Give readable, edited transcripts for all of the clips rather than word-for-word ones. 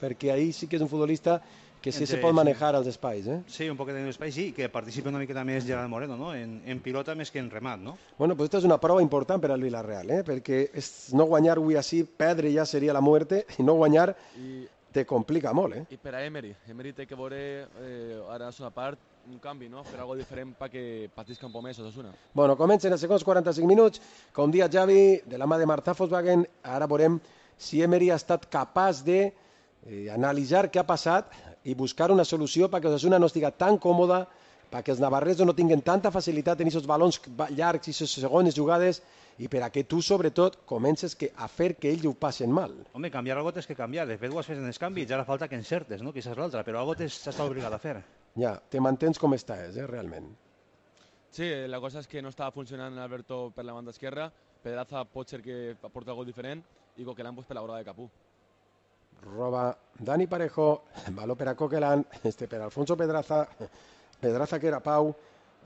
perquè ahir sí que és un futbolista que sí se pot manejar als espais. Sí, un poquet en l'espai, sí, que participa una miqueta més Gerard Moreno, no? En pilota més que en remat, no? Bueno, pues esta és una prova important per al Villarreal, perquè no guanyar avui així, perdre ja seria la muerte, i no guanyar te complica molt. I per a Emery té que veure ara a la segona part un canvi, no? Fer alguna diferent perquè patisca un poc més Osasuna. Bueno, comencen els segons 45 minuts, com dia Xavi, de la mà de Marta Volkswagen, ara veurem si Emery ha estat capaç de analitzar què ha passat i buscar una solució perquè Osasuna no estigui tan còmoda, perquè els navarresos no tinguin tanta facilitat en aquests balons llargs i aquestes segones jugades, i per a que tu, sobretot, comences a fer que ells ho passen mal. Home, canviar algo tens que canviar. De fet, ho has fet en els canvis, ja ara falta que encertes, no? Que això és l'altra, però algo t'està obligat a fer. Ja, te mantens com estàs, realment. Sí, la cosa és que no estava funcionant Alberto per la banda esquerra, Pedraza pot ser que aporta algo diferent, i Coquelin per la vora de Capú. Roba Dani Parejo, baló per a Coquelin, per Alfonso Pedraza, Pedraza que era Pau,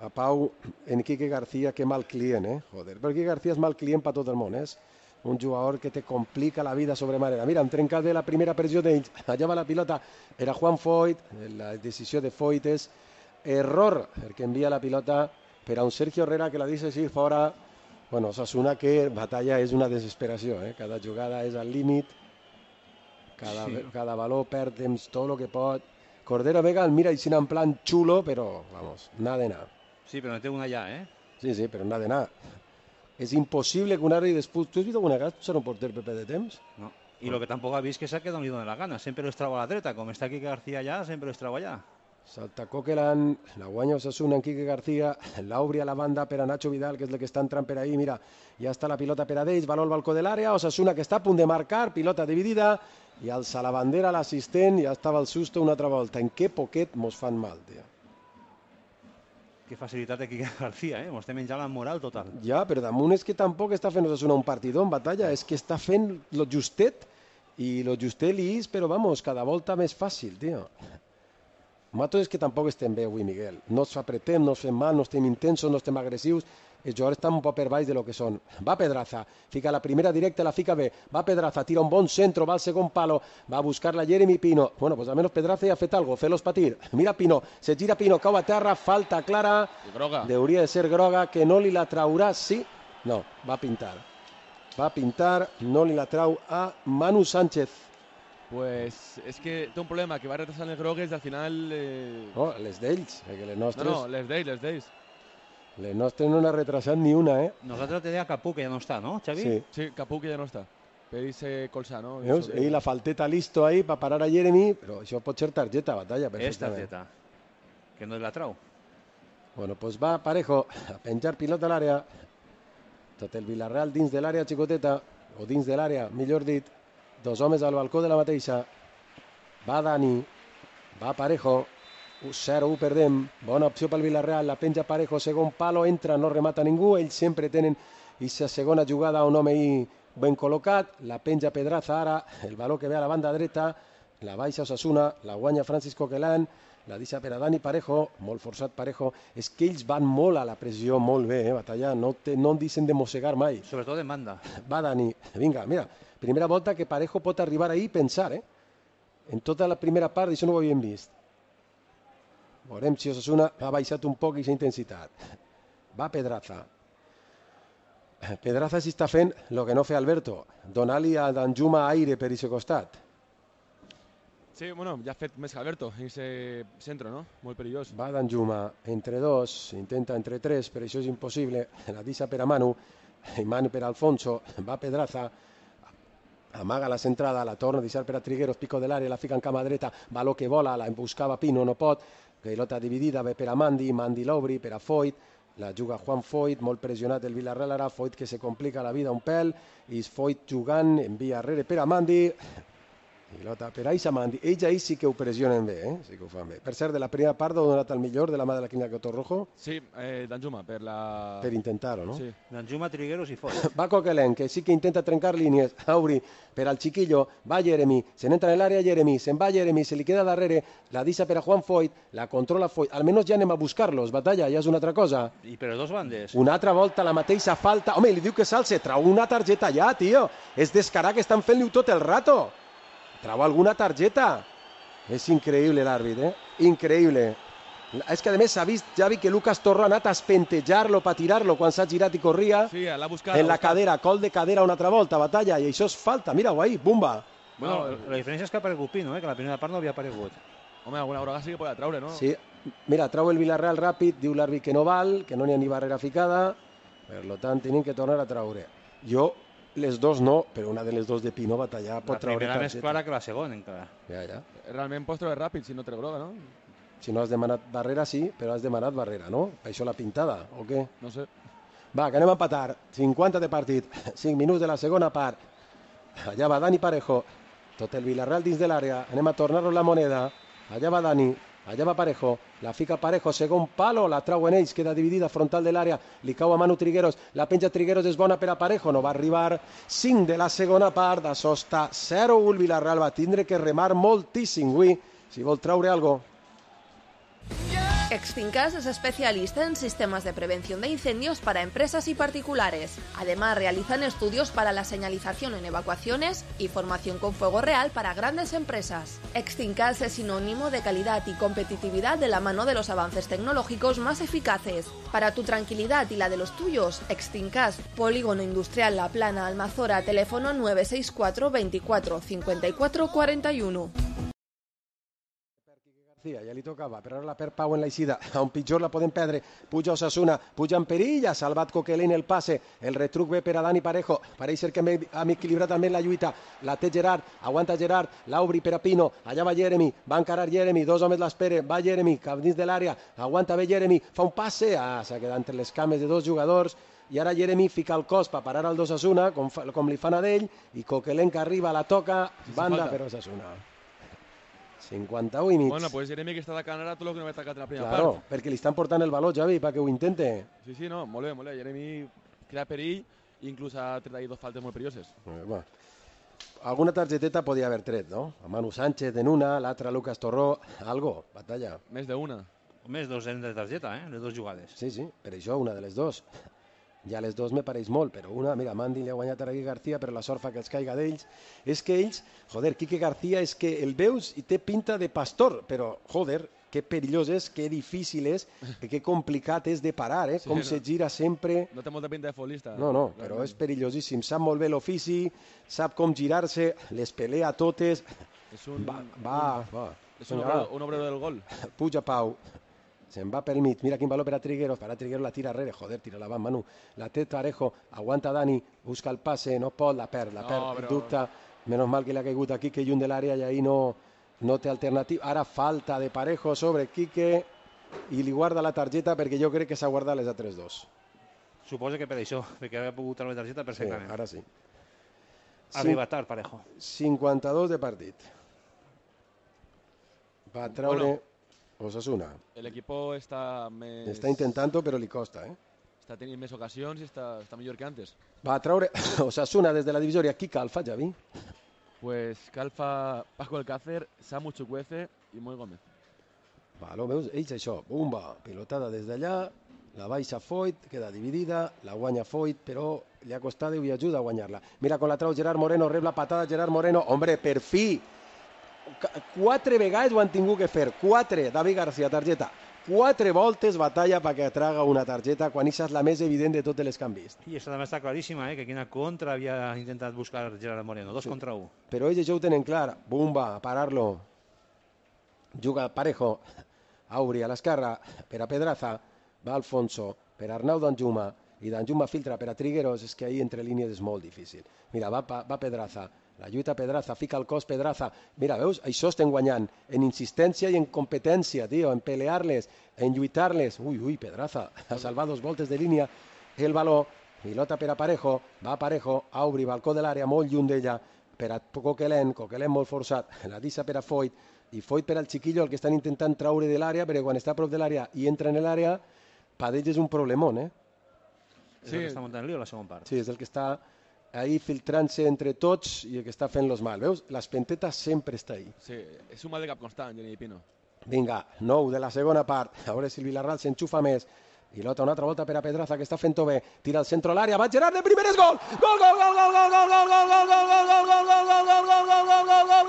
a Pau en Quique García, que mal client, joder, però Quique García és mal client per tot el món, és un jugador que te complica la vida sobremanera. Mira, han trencat de la primera pressió d'ells, allà va la pilota, era Juan Foyt, la decisió de Foyt és error, perquè envia la pilota per a un Sergio Herrera que la deixa així fora. Bueno, Osasuna que batalla és una desesperació, cada jugada és al límit, cada baló perd temps tot el que pot. Cordero Vega el mira així en plan xulo, però, vamos, nada de nada. Sí, però no té una ja, Sí, però nada de nada. És impossible que un árbitro después... ¿Tú has visto alguna vegada ser un porter Pepe de temps? No. I lo que tampoc ha vist que saque d'on li dona la gana. Sempre es troba a la dreta. Com està Quique García allà, sempre es troba allà. Salta Coquelin, la guanya Osasuna en Quique García, l'obri a la banda per a Nacho Vidal, que és el que està entrant per ahí. Mira, ja està la pilota per a d'ells, baló al balcó de l'àrea, Osasuna que està a punt de marcar, pilota dividida, i alça la bandera l'assistent, ja estava el susto una altra volta. En què poquet mos fan mal, tio. Que facilitat de Quique García, Mos té menjant la moral total. Ja, però damunt és que tampoc està fent Osasuna un partidó en batalla, és que està fent lo justet, i lo justet li és, però vamos, cada volta més fàcil, tio. Nosaltres és que tampoc estem bé avui, Miguel. No ens apretem, no ens fem mal, no estem intensos, no estem agressius. Els jugadors estan un poc per baix de lo que són. Va Pedraza, fica la primera directa, la fica bé. Va Pedraza, tira un bon centro, va al segon palo, va a buscar la Jeremy Pino. Bueno, pues almenys Pedraza ja ha fet algo, fer-los patir. Mira Pino, se gira Pino, cau a terra, falta clara. Groga. Hauria de ser groga, que no li la traurà, sí? No, va pintar. Va pintar, no li la trau a Manu Sánchez. Pues és que té un problema, que va retrasant les grogues i al final... No, les d'ells, perquè les nostres... No, les d'ells. Les nostres no n'ha retrasat ni una, Nosaltres te deia Capú, que ja no està, no, Xavi? Sí, Capú que ja no està. Per ese colzar, no? Veus? Ell la falteta listo ahí para parar a Jeremy, però això pot ser targeta, batalla, perfectament. És targeta, que no la trau. Bueno, pues va Parejo a penjar pilota a l'àrea. Tot el Villarreal dins de l'àrea xicoteta, o dins de l'àrea, millor dit. Dos homes al balcó de la mateixa. Va Dani, va Parejo, 0-1 perdem, bona opció pel Villarreal, la penja Parejo, segon palo, entra, no remata ningú, ells sempre tenen aquesta segona jugada, un home ahí ben col·locat, la penja Pedraza ara, el baló que ve a la banda dreta, la baixa Osasuna, la guanya Francis Coquelin, la deixa per a Dani Parejo, molt forçat Parejo, és que ells van molt a la pressió, molt bé, batalla, no en deixen de mossegar mai. Sobretot en banda. Va Dani, vinga, mira, primera volta que Parejo pot arribar ahí i pensar, en tota la primera part, això no ho havíem vist. Veurem si Osasuna ha baixat un poc aquesta intensitat. Va Pedraza. Pedraza sí està fent el que no fe Alberto, donar-li a Danjuma aire per aquest costat. Sí, bueno, ja ha fet més que Alberto en aquest centre, no? Molt perillós. Va Danjuma entre dos, intenta entre tres, però això és impossible. La deixa per a Manu, i Manu per a Alfonso. Va Pedraza, amaga la centrada, la torna a deixar per a Trigueros, pico de l'àrea, la fica en cama dreta, baló que vola, la buscava Pino, no pot. Pilota dividida, ve per a Mandi l'obri per a Foyt, la juga Juan Foyt, molt pressionat el Villarreal ara, Foyt que se complica la vida un pèl, i Foyt jugant, envia arrere per a Mandi, pilota per a Mandi, ells ahir sí que ho pressionen bé, sí que ho fan bé. Per cert, de la primera part ha donat el millor de la mà de la Quinta Cotorrojo? Sí, Danjuma, per intentar-ho, no? Sí. Danjuma, Trigueros i Foyt. Va Coquelin, que sí que intenta trencar línies, obri per al Chiquillo, va Jeremy, se n'entra en l'àrea Jeremy, se'n va Jeremy, se li queda darrere, la deixa per a Juan Foyt, la controla Foyt, almenys ja anem a buscar-los, batalla, ja és una altra cosa. I per a dos bandes. Una altra volta la mateixa falta, home, li diu que s'alce, trau una targeta ja, tio, és descarar que estan fent-li tot el rato. trau alguna targeta. És increïble l'àrbit, increïble. És que a més s'ha vist, Javi, que Lucas Torró ha anat a espentejar-lo per tirar-lo quan s'ha girat i corria. Sí, l'ha buscat. En la cadera, col de cadera una altra volta, Batalla, i això és falta. Mira-ho ahí, bumba. Bueno, la diferència és que ha aparegut Pino, que la primera part no havia aparegut. Home, alguna groga sí que podia treure, no? Sí, mira, trau el Villarreal ràpid, diu l'àrbit que no val, que no n'hi ha ni barrera ficada, per tant tenim que tornar a traure. Jo, les dos no, però una de les dos de Pino Batalla pot traure La primera més targeta. clara que la segona, encara. Ja. Realment pots treure ràpid si no treu groga, no? Si no has demanat barrera, sí, però has demanat barrera, no? Per això la pintada, o què? No sé. Va, que anem a empatar. 50 de partit, 5 minuts de la segona part. Allà va Dani Parejo, tot el Villarreal dins de l'àrea. Anem a tornar-lo la moneda. Allà va Dani, allà va Parejo. La fica Parejo, segon palo, la trauen ells, queda dividida frontal de l'àrea. Li cau a Manu Trigueros, la penja Trigueros és bona per a Parejo. No va arribar 5 de la segona part. D'això està 0-1. El Villarreal va tindre que remar moltíssim avui si vol traure alguna cosa. Extincas es especialista en sistemas de prevención de incendios para empresas y particulares. Además, realizan estudios para la señalización en evacuaciones y formación con fuego real para grandes empresas. Extincas es sinónimo de calidad y competitividad de la mano de los avances tecnológicos más eficaces. Para tu tranquilidad y la de los tuyos, Extincas, Polígono Industrial La Plana, Almazora, teléfono 964 24 54 41. Ja li tocava, però ara la perd Pau en l'eixida, a un pitjor la poden perdre, puja Osasuna, puja en perill, ha salvat Coquelin el passe, el retruc ve per a Dani Parejo, pareix ser que hem equilibrat també la lluita, la té Gerard, aguanta Gerard, l'obri per a Pino, allà va Jeremy, va encarar Jeremy, dos homes l'esperen, va Jeremy, cap dins de l'àrea, aguanta bé Jeremy, fa un passe, s'ha quedat entre les cames de dos jugadors, i ara Jeremy fica el cos per parar al d'Osasuna, com li fan a d'ell, i Coquelin que arriba, la toca, banda per Osasuna. 51 i mig. Bueno, pues Jeremy que està atacant ara tot el que no va atacat en la primera Claro, part. perquè li estan portant el valor, Javi, perquè ho intente. Sí, no, molt bé. Jeremy crea perill i inclús ha tret ahí dos faltes molt perilloses. Bueno. Alguna targeteta podia haver tret, no? A Manu Sánchez en una, l'altra Lucas Torró, algo, Batalla. Més d'una. Més dos de targeta, les dues jugades. Sí, per això una de les dos. Ja les dos me pareix molt, però una, mira, Mandi li ha guanyat a Regui García, però la sort fa que els caiga d'ells. És que ells, joder, Quique García és que el veus i té pinta de pastor, però, joder, que perillós és, que difícil és, que complicat és de parar, Sí, com no. se gira sempre. No té molta pinta de futbolista. No, però és perillosíssim. Sap molt bé l'ofici, sap com girar-se, les pelea totes. És un obrador del gol. Puja Pau. Se'n va pel mig, mira quin valor per a Trigueros, per a Trigueros la tira arrere, joder, tira-la avant, Manu, la té Parejo, aguanta Dani, busca el passe, no pot, la perd, però... dubta, menys mal que li ha caigut a Quique lluny de l'àrea i ahí no té alternativa, ara falta de Parejo sobre Quique i li guarda la targeta perquè jo crec que s'ha guardat les altres dos. Suposo que per això, perquè havia pogut treure la targeta perfectament. Sí, ara sí. Arriba tard, Parejo. 52 de partit. Va treure Osasuna. El equipo está més... Està intentant-ho, però li costa, Està tenint més ocasions i està millor que antes. Va treure Osasuna des de la divisòria. Qui calfa, Javi? Pues calfa Paco Alcácer, Samu Chukwueze i Moi Gómez. Va, lo veus? Ells això, bumba, pilotada des d'allà, la baixa Foyt, queda dividida, la guanya Foyt, però li ha costat i ajuda a guanyar-la. Mira, con la trau Gerard Moreno, rep la patada Gerard Moreno, hombre, per fi! 4 vegades ho han tingut que fer, 4, David García, targeta. 4 voltes batalla perquè traga una targeta quan això és la més evident de totes les que han vist. I això també està claríssima, que quina contra havia intentat buscar Gerard Moreno, 2 contra 1. Però ells això ho tenen clar, bumba, a parar-lo. Juga Parejo, Auri a l'esquerra, per a Pedraza, va Alfonso, per a Arnau Danjuma, i Danjuma filtra per a Trigueros, és que ahí entre línies és molt difícil. Mira, va Pedraza, la lluita Pedraza, fica el cos Pedraza. Mira, veus? Això estem guanyant. En insistència i en competència, tio, en pelear-les, en lluitar-les. Ui, Pedraza, ha salvat 2 voltes de línia. El valor, pilota per a Parejo, va Parejo, Auri, balcó de l'àrea, molt lluny d'ella, per a Coquelin molt forçat, la deixa per a Foyt, i Foyt per al Chiquillo, el que estan intentant traure de l'àrea, perquè quan està a prop de l'àrea i entra en l'àrea, per ells és un problemón, És el que està muntant el lío a la segona part. Sí, és el que està ahí filtrant-se entre tots i el que està fent-los mal. Veus? L'espenteta sempre està ahí. Sí, és un mal de cap constant, Jeremy Pino. Vinga, 9 de la segona part. A veure si el Villarreal s'enxufa més. Pilota una altra volta per a Pedraza, que està fent-ho bé. Tira al centre a l'àrea, va Gerard de primeres, gol! Gol, gol, gol, gol, gol, gol, gol, gol, gol, gol, gol, gol, gol, gol, gol, gol,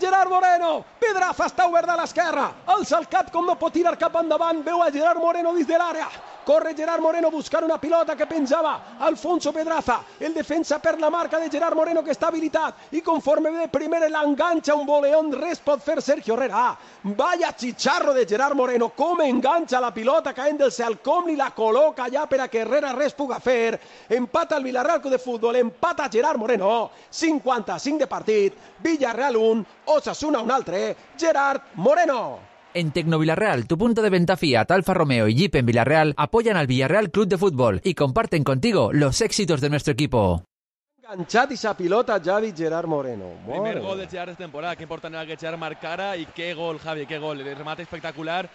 Gerard Moreno, Pedraza està obert a l'esquerra, alça el cap com no pot tirar cap endavant, veu a Gerard Moreno dins de l'àrea, corre Gerard Moreno buscant una pilota que penjava Alfonso Pedraza, el defensa per la marca de Gerard Moreno que està habilitat i conforme ve de primer l'enganxa un voleón, res pot fer Sergio Herrera. Vaya chicharro de Gerard Moreno, com enganxa la pilota caent del cel, com li la col·loca allà per a que Herrera res puga fer. Empata el Villarreal Club de Futbol, empata Gerard Moreno, 55 de partit, Villarreal 1, Osasuna un altre, Gerard Moreno. En Tecnovillarreal, tu punto de venta Fiat, Alfa Romeo y Jeep en Villarreal, apoyan al Villarreal Club de Fútbol y comparten contigo los éxitos de nuestro equipo. Enganxat esa pilota Javi Gerard Moreno. Primer gol de Gerard esta temporada. Qué importante era que Gerard marcara y qué gol, Javi, qué gol. El remate espectacular.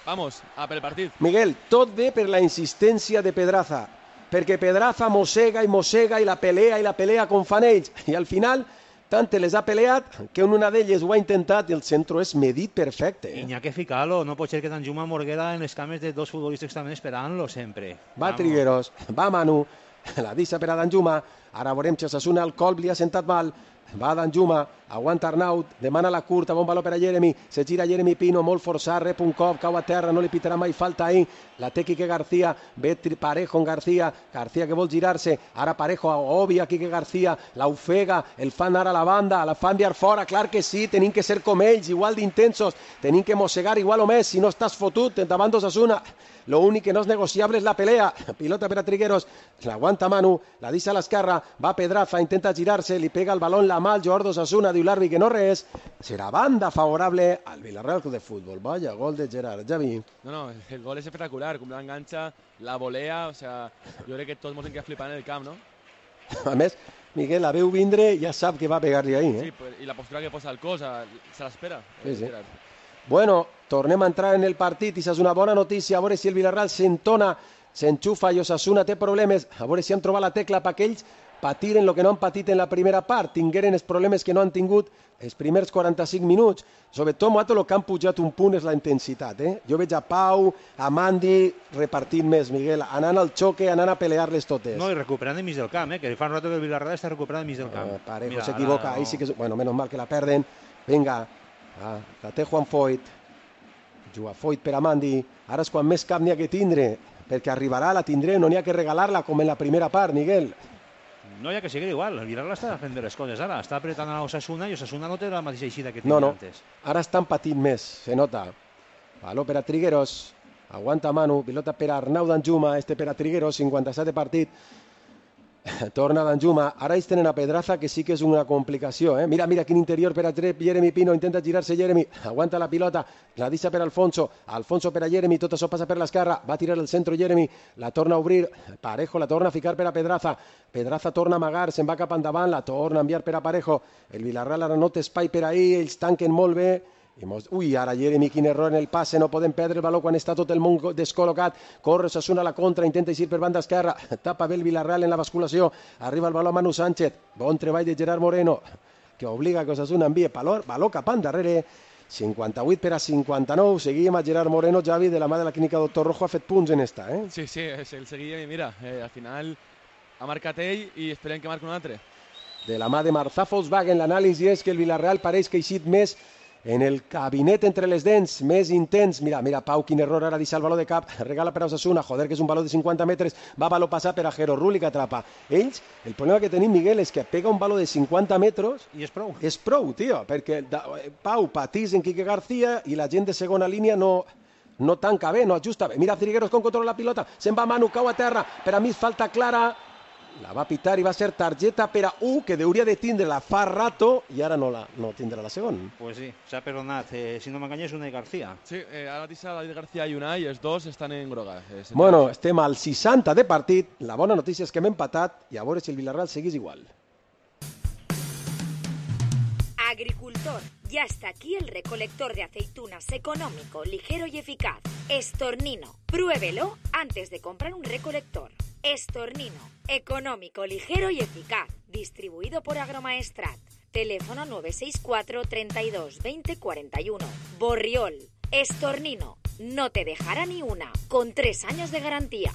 Vamos, a per el partit. Miguel, tot ve per la insistència de Pedraza, perquè Pedraza mossega i la pelea com fan ells, i al final tant les ha peleat que en una d'elles ho ha intentat i el centre és medit perfecte. I n'hi ha que ficar-lo, no pot ser que Danjuma Morguera en les cames de dos futbolistes que estaven esperant-lo sempre. Va Trigueros, va Manu, la deixa per a Danjuma, ara veurem si Osasuna el colp li ha sentat mal, va Danjuma, aguanta Arnaut, demana la curta, bon valor per a Jeremy, se gira Jeremy Pino, molt forçat, rep un cop, cau a terra, no li pitarà mai falta ahí, la té Quique García, ve Parejo en García que vol girar-se, ara Parejo obvia Quique García, l'ofega, el fan ara a la banda, la fan enviar fora, clar que sí, tenim que ser com ells, igual d'intensos, tenim que mossegar igual o més, si no estàs fotut davant d'Osasuna. Lo únic que no és negociable és la pelea. Pilota per a Trigueros, l'aguanta Manu, la deixa a l'esquerra, va Pedraza, intenta girar-se, li pega el baló en la mà al jugador d'Osasuna, diu l'àrbitre que no res. Serà banda favorable al Villarreal Club de Fútbol. Vaya gol de Gerard, Javi. No, el gol es espectacular, com l'enganxa, la volea, o sea, jo crec que tots ens hem quedat flipant en el camp, no? A més, Miguel la veu vindre, ja sap que va pegar-li ahí, Sí, i la postura que posa el cos, se l'espera. Sí. Bueno, tornem a entrar en el partit i és una bona notícia, a veure si el Villarreal s'entona, s'enxufa i Osasuna té problemes, a veure si han trobat la tecla per que ells patiren el que no han patit en la primera part, tingueren els problemes que no han tingut els primers 45 minuts. Sobretot, el que han pujat un punt és la intensitat. Jo veig a Pau, a Mandi repartint més, Miguel, anant al xoque, anant a pelear-les totes. No, i recuperant enmig del camp, que fa un rato que el Villarreal està recuperant enmig del camp. Parejo s'equivoca, ahí sí que... Bueno, menos mal que la perden. Vinga, la té Juan Foyt, juga Foyt per a Mandi, ara és quan més cap n'hi ha que tindre, perquè arribarà, la tindrem, no n'hi ha que regalar-la com en la primera part, Miguel. No hi ha que seguir igual, el Villarreal està fent bé les coses ara, està apretant a Osasuna i Osasuna no té la mateixa eixida que tenia antes. Ara estan patint més, se nota. Baló per a Trigueros, aguanta Manu, pilota per a Arnau Danjuma, per a Trigueros, 57 de partit. Torna Danjuma, ara ells tenen a Pedraza, que sí que és una complicació. Mira quin interior per a Jeremy Pino, intenta girar-se Jeremy, aguanta la pilota, la deixa per Alfonso per a Jeremy, tot això passa per l'esquerra, va tirar el centre Jeremy, la torna a obrir, Parejo la torna a ficar per a Pedraza torna a amagar, se'n va cap endavant, la torna a enviar per a Parejo, el Villarreal ara no té espai per ahí, ells tanquen molt bé. Ui, ara Jeremy, quin error en el passe, no podem perdre el baló quan està tot el món descol·locat, corre Osasuna a la contra, intenta eixir per banda esquerra, tapa bé el Villarreal en la basculació, arriba el baló a Manu Sánchez, bon treball de Gerard Moreno, que obliga que Osasuna envie baló cap endarrere, 58 per a 59, seguim a Gerard Moreno, Javi, de la mà de la clínica Doctor Rojo, ha fet punts en esta, Sí, el seguia i mira, al final ha marcat ell i esperem que marqui un altre. De la mà de Marzà Volkswagen, l'anàlisi és que el Villarreal pareix que ha eixit més en el cabinet entre les dents, més intens. Mira, Pau, quin error, ara deixa el baló de cap, regala per a Osasuna, joder, que és un baló de 50 metres, va baló passar per a Jero Rulli, que atrapa. Ells, el problema que tenim, Miguel, és que pega un baló de 50 metres... I és prou. És prou, tio, perquè Pau patís en Quique García i la gent de segona línia no tanca bé, no ajusta bé. Mira Trigueros com controla la pilota, se'n va Manu, cau a terra, per a mi falta clara, la va pitar i va ser targeta per a U, que hauria de tindre-la fa rato i ara no tindrà la segona. Pues sí, s'ha perdonat, si no m'enganyes, Unai García. Sí, ara mateixa David García i Unai, els dos estan en groga. Bueno, estem al 60 de partit, la bona notícia és que hem empatat i a veure si el Villarreal seguís igual. Agricultor. Ya está aquí el recolector de aceitunas económico, ligero y eficaz. Estornino. Pruébelo antes de comprar un recolector. Estornino. Económico, ligero y eficaz. Distribuido por Agromaestrat. Teléfono 964 32 20 41. Borriol. Estornino. No te dejará ni una. Con 3 años de garantía.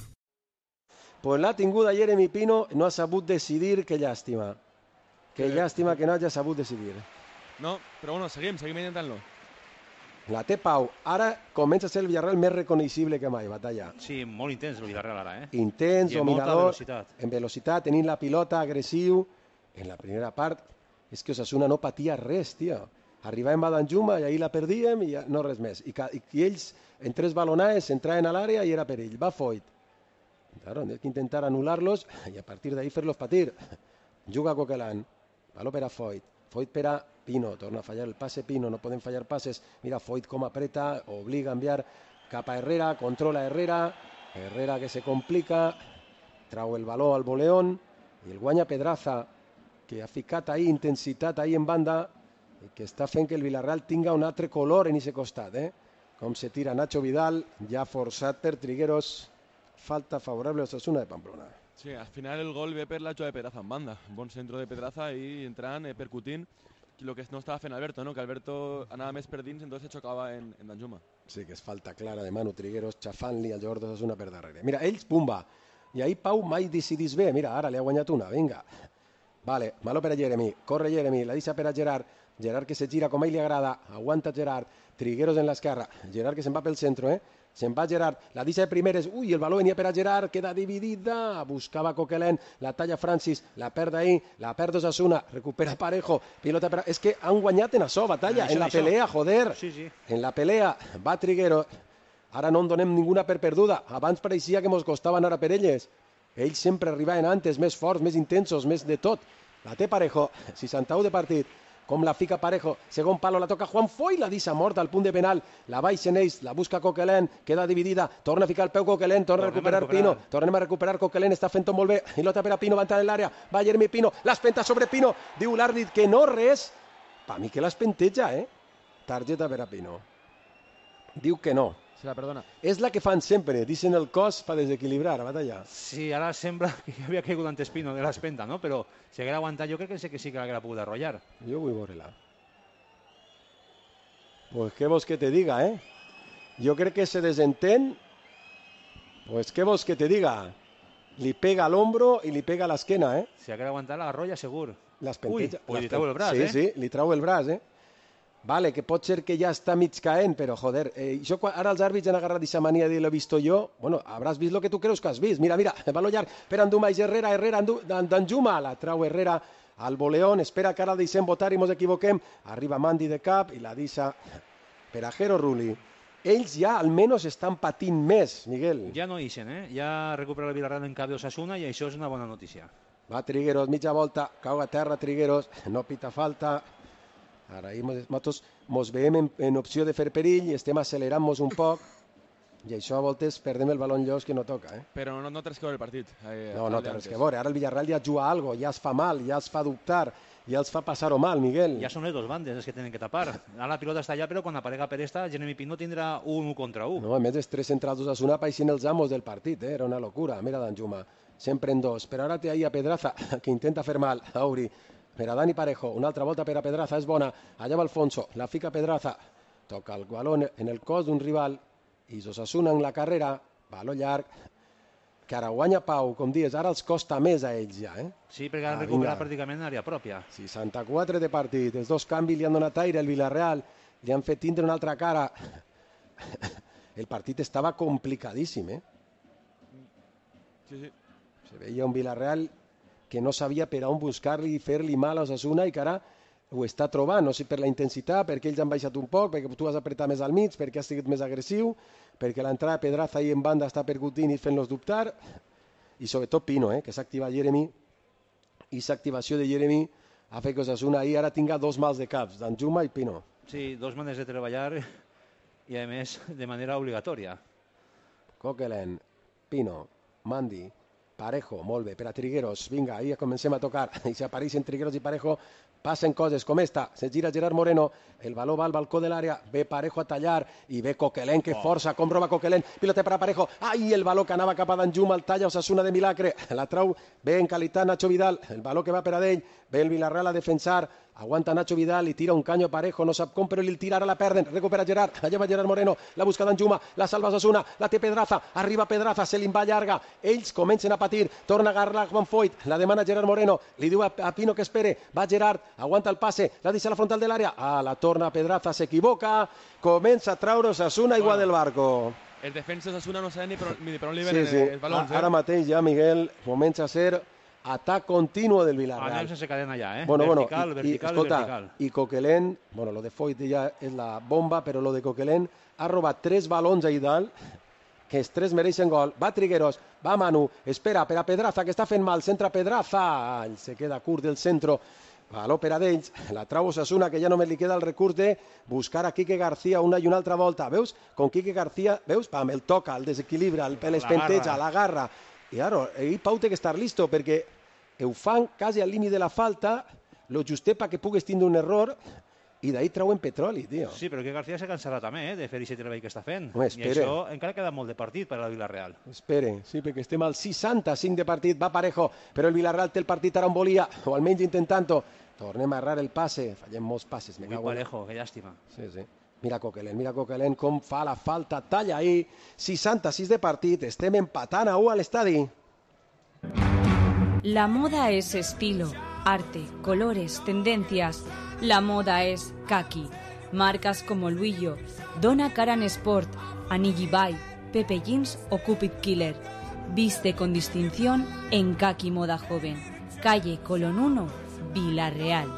Pues l'ha tinguda Jeremy Pino, no ha sabut decidir, que llàstima. Que llàstima que no hagi sabut decidir. No, però bueno, seguim intentant-lo. La té Pau. Ara comença a ser el Villarreal més reconeixible que mai, Batalla. Sí, molt intens el Villarreal ara, eh? Intens, dominador, velocitat. en velocitat, tenint la pilota, agressiu. En la primera part, és que Osasuna no patia res, tio. Arribàvem a Danjuma i ahir la perdíem i ja, no res més. I ells, en 3 balonades, entraven a l'àrea i era per ell. Va Foyt. Claro, hay que intentar anular-los i a partir d'ahí fer-los patir. Juga Coquelin. Baló per a Foyt. Foyt per a Pino, torna a fallar el passe Pino, no poden fallar passes. Mira Foyt com apreta, obliga a enviar cap a Herrera, controla Herrera. Herrera que se complica, trau el baló al voleón i el guanya Pedraza, que ha ficat ahí intensitat ahí en banda i que està fent que el Villarreal tinga un altre color en aquest costat. Com se tira Nacho Vidal, ja forçat per Trigueros. Falta favorable a Osasuna de Pamplona. Sí, al final el gol ve per la jugada de Pedraza en banda. Bon centre de Pedraza i entrant, percutint lo que no estava fent Alberto, no? Que Alberto anava més per dins, entonces xocava en Danjuma. Sí, que és falta clara de Manu Trigueros, xafant-li al jugador d'Osasuna per darrere. Mira, ells, pumba. I ahir Pau mai decidís bé. Mira, ara li ha guanyat una, vinga. Vale, malo per a Jeremy. Corre Jeremy, la deixa per a Gerard. Gerard que se gira com a ell li agrada. Aguanta Gerard. Trigueros en l'esquerra. Gerard que se'n va pel centre, Se'n va Gerard, la deixa de primeres, ui, el baló venia per a Gerard, queda dividida, buscava Coquelin, la talla Francis, la perd ahí, la perd Osasuna, recupera Parejo, pilota per a... És que han guanyat en això, Batalla, en la pelea, joder, sí. En la pelea, va Trigueros, ara no en donem ninguna per perduda, abans pareixia que mos costaven ara per elles, ells sempre arribaven antes, més forts, més intensos, més de tot, la té Parejo, 61 de partit, com la fica Parejo, segon palo, la toca Juan Foy, la deixa morta al punt de penal, la baixen ells, la busca Coquelin, queda dividida, torna a ficar el peu Coquelin, torna a recuperar Pino, tornem a recuperar Coquelin, està fent tot molt bé, pilota per a Pino, va entrar en l'àrea, va Jeremy Pino, l'espenta sobre Pino, diu l'àrbit que no res, pa mi que l'espenteja, targeta per a Pino, diu que no. Se la perdona. És la que fan sempre, dicen el cos per desequilibrar, Batalla. Sí, ara sembla que havia caigut antes Pino de l'espenta, no? Però si haguera aguantat jo crec que sí que l'haguera pogut arrollar. Jo vull veure-la. Pues què vols que te diga, Jo crec que se desentén. Pues què vols que te diga? Li pega a l'ombro i li pega a l'esquena, Si haguera aguantat la garrolla, segur. L'espenteja. Ui, li trau el braç, Sí, li trau el braç, Vale, que pot ser que ja està mig caent, però joder, ara els àrbits han agarrat aquesta mania de l'he visto jo. Bueno, habràs vist lo que tu creus que has vist. Mira, el baló llarg per Anduma i Herrera Danjuma, la trau Herrera al voleón, espera que ara el deixem votar i mos equivoquem. Arriba Mandi de cap i la deixa per a Jero Rulli. Ells ja almenys estan patint més, Miguel. Ja no ixen, Ja recupera el Villarreal en cap d'Osasuna i això és una bona notícia. Va Trigueros, mitja volta, cau a terra Trigueros, no pita falta. Ara ahir nosaltres mos veiem en opció de fer perill i estem accelerant-nos un poc i això a voltes perdem el baló llos que no toca. Però no té res que veure el partit. No té res que veure. Ara el Villarreal ja juga algo, ja es fa mal, ja es fa dubtar, ja els fa passar-ho mal, Miguel. Ja són les dos bandes els que tenen que tapar. Ara la pilota està allà, però quan aparega per esta, Jeremy Pino tindrà un contra un. No, a més, els 3 centrals d'Osasuna paeixen els amos del partit, era una locura. Mira Danjuma, sempre en 2, però ara té ahí a Pedraza, que intenta fer mal, Auri. Per a Dani Parejo, una altra volta per a Pedraza, és bona, allà va Alfonso, la fica Pedraza, toca el baló en el cos d'un rival, i Osasuna en la carrera, baló llarg, que ara guanya Pau, com dius, ara els costa més a ells ja. Sí, perquè han recuperat pràcticament àrea pròpia. 64 de partit, els dos canvis li han donat aire al Villarreal, li han fet tindre una altra cara. El partit estava complicadíssim, Sí. Se veia un Villarreal que no sabia per on buscar-li i fer-li mal a Osasuna i que ara ho està trobant, no sé per la intensitat, perquè ells han baixat un poc, perquè tu has apretat més al mig, perquè has sigut més agressiu, perquè l'entrada de Pedraza ahí en banda està percutint i fent-los dubtar, i sobretot Pino, que s'activa Jeremy, i s'activació de Jeremy ha fet que Osasuna ahir ara tinga dos mals de caps, Danjuma i Pino. Sí, dos maneres de treballar i a més de manera obligatòria. Coquelin, Pino, Mandi, Parejo, molt bé, per a Trigueros, vinga, ahir comencem a tocar, i si apareixen Trigueros i Parejo, passen coses com esta, se gira Gerard Moreno, el baló va al balcó de l'àrea, ve Parejo a tallar, i ve Coquelin, que força, com roba Coquelin, pilota per a Parejo, ai, el baló que anava cap a Danjuma, el talla Osasuna de milagre, la trau, ve en qualitat Nacho Vidal, el baló que va per a d'ell, ve el Villarreal a defensar, aguanta Nacho Vidal i tira un canyo Parejo, no sap com, però li tira, ara la perden, recupera Gerard, allà va Gerard Moreno, la busca Danjuma, la salva Osasuna, la té Pedraza, arriba Pedraza, se li va llarga, ells comencen a patir, torna a agarrar Juan Foyt, la demana Gerard Moreno, li diu a Pino que espere, va Gerard, aguanta el passe, la deixa a la frontal de l'àrea, la torna Pedraza, s'equivoca, comença a traure Osasuna aigua del barco. El defensa Osasuna no sabe ni per on li venen els balons. Ara mateix ja, Miguel, comença a ser atac continu del Villarreal. Anem sense cadena ja, Vertical, vertical. I Coquelin, lo de Foyt ja és la bomba, però lo de Coquelin ha robat 3 balons ahí dalt, que els 3 mereixen gol. Va Trigueros, va Manu, espera per a Pedraza, que està fent mal, centra Pedraza, se queda curt del centro, valor per a d'ells, la trau Osasuna, que ja només li queda el recurs de buscar a Quique García una i una altra volta, veus? Con Quique García, veus? Pam, el toca, el desequilibra, el espenteja, l'agarra. I ara, ell Pau té que estar listo, perquè ho fan quasi al límit de la falta, lo justet perquè pugues tindre un error, i d'ahir trauen petroli, tio. Sí, però que García se cansarà també de fer aquest treball que està fent. Home, I això encara queda molt de partit per a la Villarreal. Espere, sí, perquè estem al 65 de partit, va Parejo, però el Villarreal té el partit ara on volia, o almenys intentant-ho. Tornem a errar el passe, fallem molts passes. Ui, Parejo, que llàstima. Sí. Mira Coquelin com fa la falta, talla ahí, 66 de partit, estem empatant a 1 a l'estadi. La moda es estilo, arte, colores, tendencias. La moda es Kaki. Marcas como Luillo, Donna Karan Sport, Anigi Bay, Pepe Jeans o Cupid Killer. Viste con distinción en Kaki Moda Joven. Calle Colón 1, Villarreal.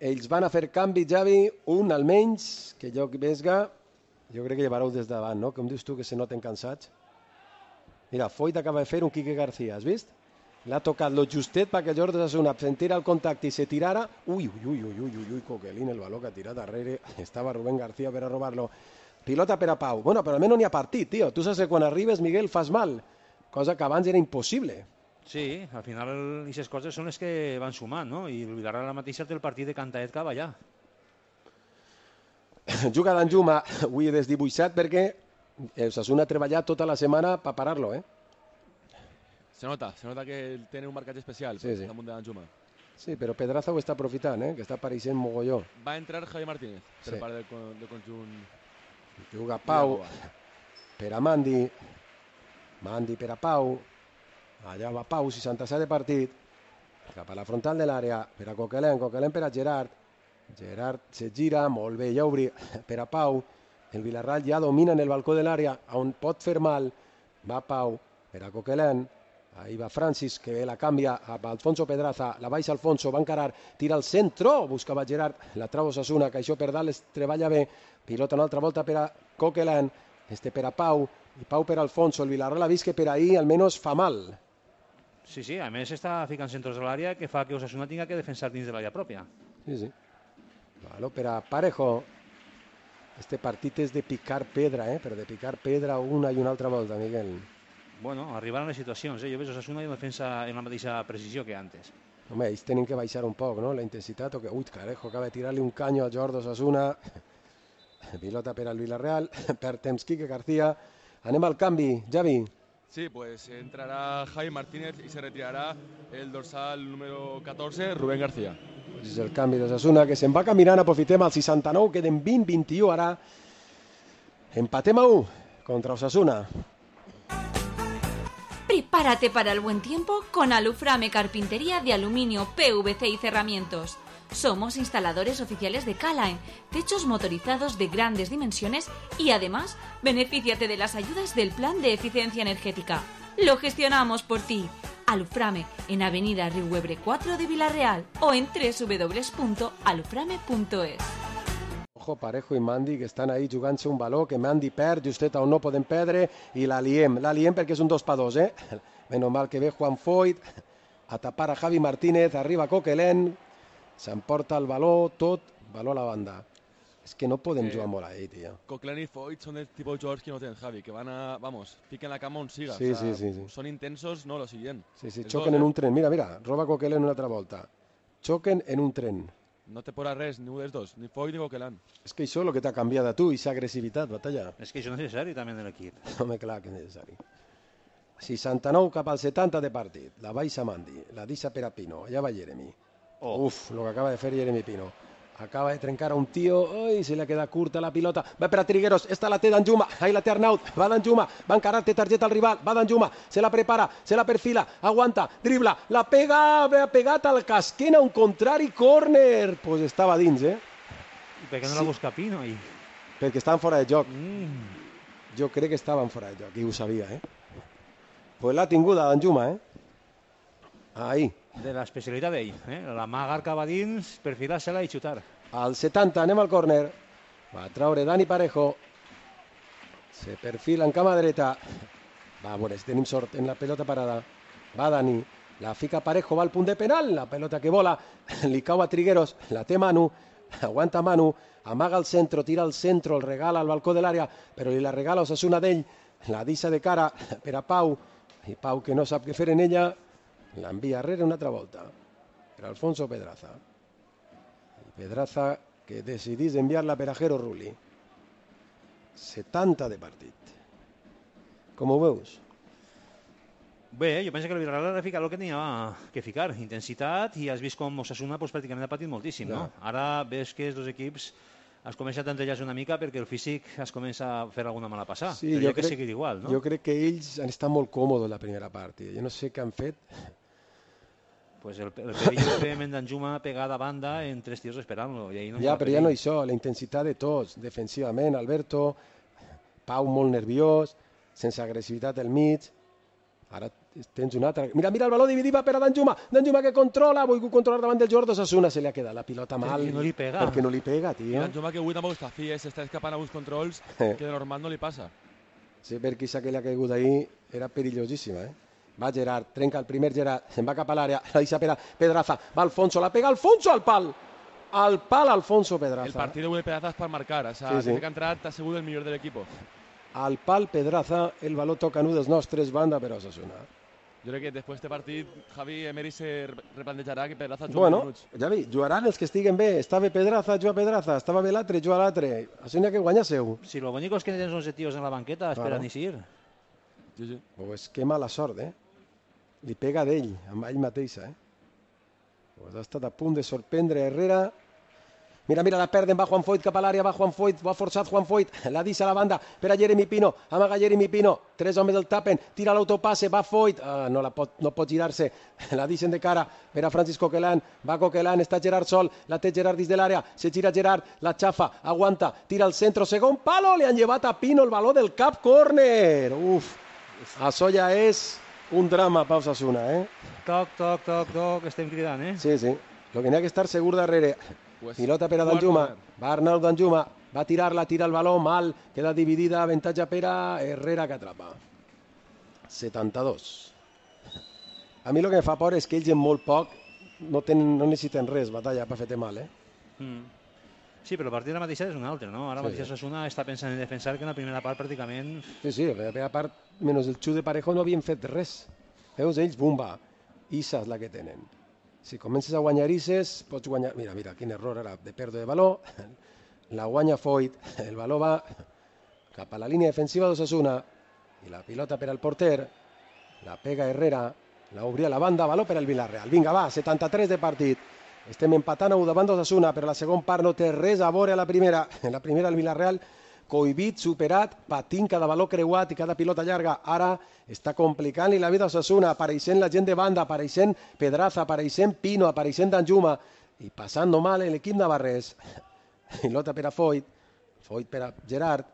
Ells van a fer canvi, Javi, un almenys, que jo vesga, jo crec que llevareu des davant, no? Com dius tu, que se noten cansats? Mira, Foyt acaba de fer un Quique García, has vist? L'ha tocat lo justet perquè el Jordi Osasuna sentira el contacte i se tirara. Ui, Coquelin, el baló que ha tirat darrere. Estava Rubén García per a robar-lo. Pilota per a Pau. Bueno, però almenys no n'hi ha partit, tio. Tu saps que quan arribes, Miguel, fas mal. Cosa que abans era impossible. Sí, al final aquestes coses són les que van sumant, no? I el Villarreal la mateixa té el partit de Cantaet cap allà. Juga Danjuma, avui desdibuixat perquè el Osasuna ha treballat tota la setmana per parar-lo, Se nota que tiene un marcatge especial damunt de Danjuma. Sí, però Pedraza ho està aprofitant, que està apareixent mogolló. Va entrar Javi Martínez per part del conjunt. Juga Pau per a Mandi per a Pau, allà va Pau, 67 de partit, cap a la frontal de l'àrea, per a Coquelin per a Gerard se gira, molt bé, ja obri per a Pau, el Villarreal ja domina en el balcó de l'àrea, on pot fer mal, va Pau per a Coquelin, ahí va Francis, que la canvia a Alfonso Pedraza, la baixa Alfonso, va encarar, tira al centro, buscava Gerard, la trau Osasuna, que això per dalt es treballa bé, pilota una altra volta per a Coquelin, per a Pau, i Pau per a Alfonso, el Villarreal ha vist que per ahí almenys fa mal. Sí, a més està ficant centres de l'àrea que fa que Osasuna tinga que defensar dins de l'àrea pròpia. Sí. Valor per a Parejo. Este partit és de picar pedra, però de picar pedra una i una altra volta, Miguel. Bueno, arribaran les situacions, Jo veig Osasuna i defensa en la mateixa precisió que antes. Home, ells tenen que baixar un poc, no? La intensitat, Ui, Parejo acaba de tirar-li un canyo al Jordi Osasuna. Pilota per al Villarreal, per temps Quique García. Anem al canvi, Javi. Sí, pues entrará Javi Martínez y se retirará el dorsal número 14, Rubén García. És el canvi d'Osasuna, que se'n va caminant, aprofitem al 69, queden 20-21 ara. Empatem a 1 contra Osasuna. Prepárate para el buen tiempo con Aluframe Carpintería de Aluminio, PVC y Cerramientos. Somos instaladores oficiales de K-Line, techos motorizados de grandes dimensiones y además benefíciate de las ayudas del Plan de Eficiencia Energética. Lo gestionamos por ti. Aluframe en Avenida Riuebre 4 de Villarreal o en www.aluframe.es. Ojo, Parejo i Mandi, que estan ahí jugant-se un baló, que Mandi perd, justet on no podem perdre, i la liem perquè és un 2-2, Menos mal que ve Juan Foyt a tapar a Javi Martínez, arriba Coquelin, s'emporta el baló, tot, baló a la banda. És que no podem jugar molt a ell, tio. Coquelin i Foyt són del tipus de jugadors que no tenen, Javi, que van a, vamos, piquen la cama on siga. Sí, o sea, sí. Són intensos, no, lo siguiente. Sí, xoquen en un tren. Mira, roba Coquelin una altra volta. Xoquen en un tren. No te porà res, ni un dels dos, ni Foyt ni Coquelin. És que això és el que t'ha canviat a tu, i agressivitat, Batalla. És que això és necessari també en l'equip. Home, clar que és necessari. 69 cap al 70 de partit. La baixa Mandi, la deixa per a Pino. Allà va Jeremy. Uf, lo que acaba de fer Jeremy Pino. Acaba de trencar a un tío. Ai, se li ha quedat curta la pilota. Va per a Trigueros. Esta la té Danjuma. Ahí la té Arnaud. Va Danjuma. Va encarar, té targeta al rival. Va Danjuma. Se la prepara. Se la perfila. Aguanta. Dribla. La pega. Ha pegat al casquena. Un contrari córner. Pues estava dins, eh? I per què no la busca Pino ahí? Perquè estaven fora de joc. Jo crec que estaven fora de joc. I ho sabia, eh? Pues l'ha tinguda Danjuma, eh? Ahí. De l'especialitat d'ell, la mà garca va dins, perfilar-se-la i xutar. Al 70, anem al córner. Va traure Dani Parejo. Se perfila en cama dreta. Va, bueno, tenim sort en la pelota parada. Va Dani. La fica Parejo, va al punt de penal. La pelota que vola. Li cau a Trigueros. La té Manu. Aguanta Manu. Amaga al centro, tira al centro, el regala al balcó de l'àrea, però li la regala Osasuna d'ell. La deixa de cara per a Pau. I Pau, que no sap què fer en ella, l'envia darrere una altra volta per Alfonso Pedraza. Pedraza que decidís enviar-la per a Jero Rulli. 70 de partit. Com ho veus? Bé, jo penso que el Villarreal ha ficat el que tenia que ficar, intensitat, i has vist com Osasuna pues, pràcticament ha patit moltíssim. No? Ara ves que els dos equips es comença a tentellar-se una mica perquè el físic es comença a fer alguna mala passada. Sí, però jo crec que sigui igual, no? Jo crec que ells han estat molt còmodes la primera part. Jo no sé què han fet. Pues el perillo que en Danjuma pegada a banda en 3 tiros esperant-lo. No ja, però ja no hi això, la intensitat de tots, defensivament, Alberto, Pau molt nerviós, sense agressivitat al mig. Ara tens un altre... Mira el baló dividit va per a Danjuma. Danjuma que controla, vull controlar davant del jugador d'Osasuna. Se li ha quedat la pilota mal. No li pega. Perquè no li pega, tio. Danjuma que avui tampoc està fi, s'està escapant a uns controls que de normal no li passa. Sí, perquè aquesta que li ha caigut ahir era perillosíssima, eh? Va Gerard, trenca el primer Gerard, se'n va cap a l'àrea, la deixa per a Pedraza, va Alfonso, la pega Alfonso al pal! Al pal Alfonso Pedraza. El partit d'avui de Pedraza és per marcar, o sigui, sí. Que ha entrat, t'ha sigut el millor de l'equip. Al pal Pedraza, el baló toca nu dels nostres, banda per Osasuna. Jo crec que després d'aquest partit Javi Emery se replantejarà que Pedraza juga minuts. Ja vi, jugaran els que estiguen bé. Estava Pedraza, juga Pedraza. Estava bé l'altre, juga l'altre. Això n'hi ha que guanyar-seu. Si lo bonico es que tens 11 tios en la banqueta, esperan Isir. Sí. Pues que mala sort, eh? Li pega d'ell, amb ell mateixa, eh? Pues ha estat a punt de sorprendre Herrera. Mira, la perden, va Juan Foyt cap a l'àrea, va Juan Foyt, ho ha forçat Juan Foyt, la deixa a la banda per a Jeremy Pino, amaga Jeremy Pino, 3 homes el tapen, tira l'autopasse, va Foyt, no pot girar-se, la deixen de cara per a Francis Coquelin, va Coquelin, està Gerard sol, la té Gerard dins de l'àrea, se gira Gerard, la xafa, aguanta, tira al centro, segon palo, li han llevat a Pino el baló del cap, córner, això ja és un drama per Osasuna, eh? Toc, estem cridant, eh? Sí, lo que n'hi ha que estar segur darrere. Pilota per a Danjuma, va Arnau Danjuma, va tirar-la, tira el baló, mal, queda dividida, avantatge per a Herrera que atrapa. 72. A mi el que em fa por és que ells en molt poc no necessiten res, Batalla, per fer-te mal, eh? Sí, però el partit ara mateix és un altre, no? Ara mateix Osasuna està pensant en defensar que en la primera part pràcticament... Sí, la primera part, menys el xut de Parejo, no havien fet res. Veus, ells, bumba, Issa és la que tenen. Si comences a guanyar Isses, pots guanyar... Mira, quin error ara de pèrdua de baló. La guanya Foyt, el baló va cap a la línia defensiva d'Osasuna i la pilota per al porter, la pega Herrera, la obria a la banda, baló per al Villarreal. Vinga, va, 73 de partit. Estem empatant a 1 davant d'Osasuna, però la segona part no té res a veure a la primera. En la primera el Villarreal cohibit, superat, patint cada baló creuat i cada pilota llarga. Ara està complicant-li la vida a Osasuna, apareixent la gent de banda, apareixent Pedraza, apareixent Pino, apareixent Danjuma i passant mal l'equip navarrès. Pilota per a Foyt, Foyt per a Gerard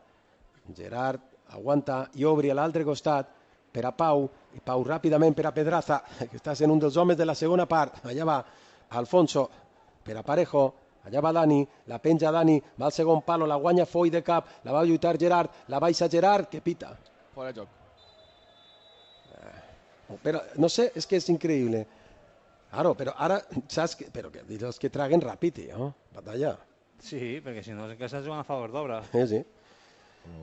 aguanta i obri a l'altre costat per a Pau, i Pau ràpidament per a Pedraza, que està sent un dels homes de la segona part. Allà va Alfonso per a Parejo, allà va Dani, la penja Dani, va al segon palo, la guanya Foyt de cap, la va lluitar Gerard, la baixa Gerard, que pita. Fora de joc. Però, no sé, és que és increïble. Claro, però ara, saps que... Però que diràs que traguen ràpid, no? Batalla. Sí, perquè si no en casa juguen a favor d'obra. Sí.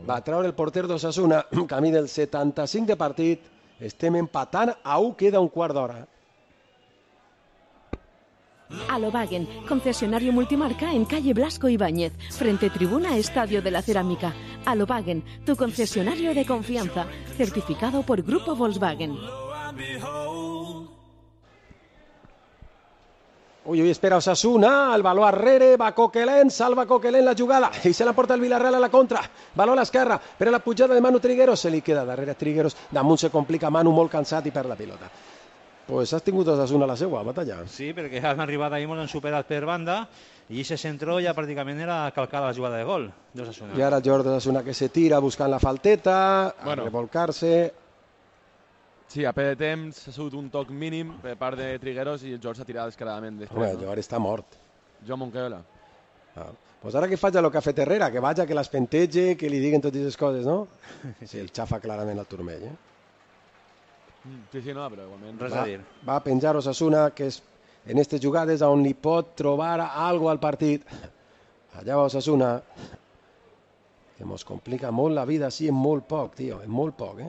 Va treure el porter d'Osasuna, camí del 75 de partit, estem empatant a 1, queda un quart d'hora. Alobagen, concesionario multimarca en calle Blasco Ibáñez, frente tribuna Estadio de la Cerámica. Alobagen, tu concesionario de confianza, certificado por Grupo Volkswagen. Uy, espera Osasuna, el baló arrere, va Coquelin, salva Coquelin la jugada i se la porta el Villarreal a la contra. Baló a l'esquerra, per a la pujada de Manu Trigueros, se li queda darrere Trigueros, damunt se complica Manu molt cansat i perd la pilota. Pues has tingut Osasuna la seva batalla. Sí, perquè han arribat ahir, ens han superat per banda i ese centro ja pràcticament era calcada la jugada de gol d'Osasuna. I ara Jordi Osasuna que se tira buscant la falteta, a revolcar-se. Sí, a de temps ha sigut un toc mínim per part de Trigueros i el George s'ha tirat descaradament després. Home, el George està mort. Joan Monqueola. Pues ara que faig el que ha fet Herrera, que vaja, que l'espentege, que li diguen totes aquestes coses, no? Sí, el xafa clarament al turmell, Sí, no, però igualment... Res a dir. Va a penjar Osasuna, que és en aquestes jugades on li pot trobar algo al partit. Allà va Osasuna, que mos complica molt la vida així en molt poc, tio, en molt poc,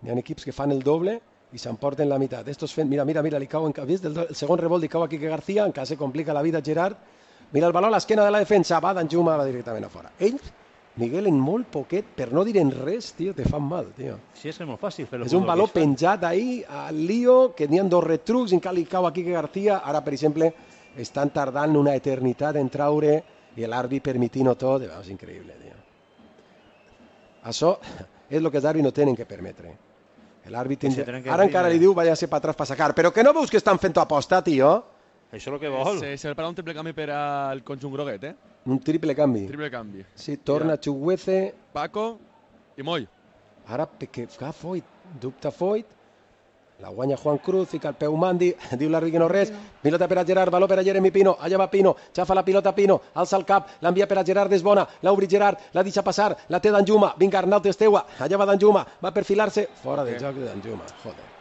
Hi ha equips que fan el doble i s'emporten la meitat. Estos fent, mira, li cau, vist? El segon revolt li cau a Quique García, encara se complica la vida Gerard. Mira el baló a l'esquena de la defensa, va Danjuma, va directament a fora. Ell, Miguel, en molt poquet, per no dir en res, tio, te fan mal, tio. Sí, és que és molt fàcil fer-lo. És un baló penjat ahí al lío, que n'hi ha 2 retrucs, encara li cau a Quique García. Ara, per exemple, estan tardant una eternitat en traure i l'àrbit permitint-ho tot. És increïble, tio. Això és el que els àrbits no tenen que permetre. L'àrbit ara encara li diu vaya-se per atrás per sacar, però que no veus que estan fent aposta, tio? Això és el que vol. Se prepara un triple canvi per al conjunt groguet, Un triple canvi. Triple canvi. Sí, torna Chukwueze, Paco i Moll. Ara que fa Foyt, dubta Foyt, la guanya Juan Cruz, fica el peu Mandi, diu l'àrbit que no res, pilota per a Gerard, valor per a Jeremy Pino, allà va Pino, xafa la pilota Pino, alça el cap, l'envia per a Gerard, és bona, l'obri Gerard, la deixa passar, la té Danjuma, vinga Arnau Testeua, allà va Danjuma, va perfilar-se, fora de joc de Danjuma, joder.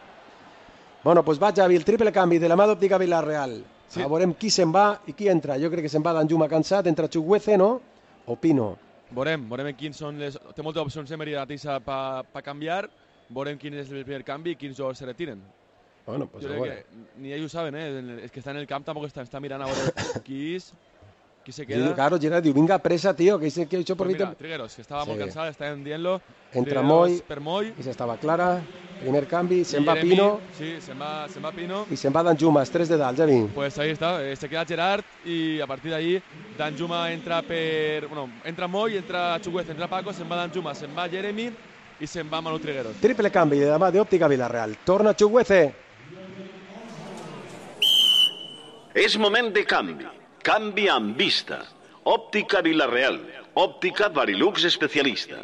Bueno, pues va Javi, el triple canvi de la mà d'Òptica Villarreal. Sí. Veurem qui se'n va i qui entra. Jo crec que se'n va Danjuma cansat, entra Chukwueze, no? O Pino. Veurem quins són les... Té moltes opcions Emery Gatissa per canviar. Veurem quin és el primer canvi i quins jugadors se retiren. Bueno, pues jo crec que ni ells ho saben, és que està en el camp, tampoc està mirant a veure qui se queda. Claro, Gerard diu, vinga, presa, tío, que he hecho por mira, Trigueros, que estava molt cansat, estàvem dient-lo. Entra Moll, per Moll. I s'estava clara. Primer canvi, se'n va Pino. Sí, se'n va Pino. I se'n va Danjuma, els 3 de dalt, Javi. Pues ahí està, se queda Gerard i a partir d'ahí Danjuma entra per... Bueno, entra Moll, entra Chukwueze, entra Paco, se'n va Danjuma, se'n va Jeremy i se'n va Manu Trigueros. Triple canvi de demà d'Òptica Villarreal. Torna Chukwueze. És moment de canvi. Canvi amb vista. Òptica Villarreal. Òptica Varilux especialista.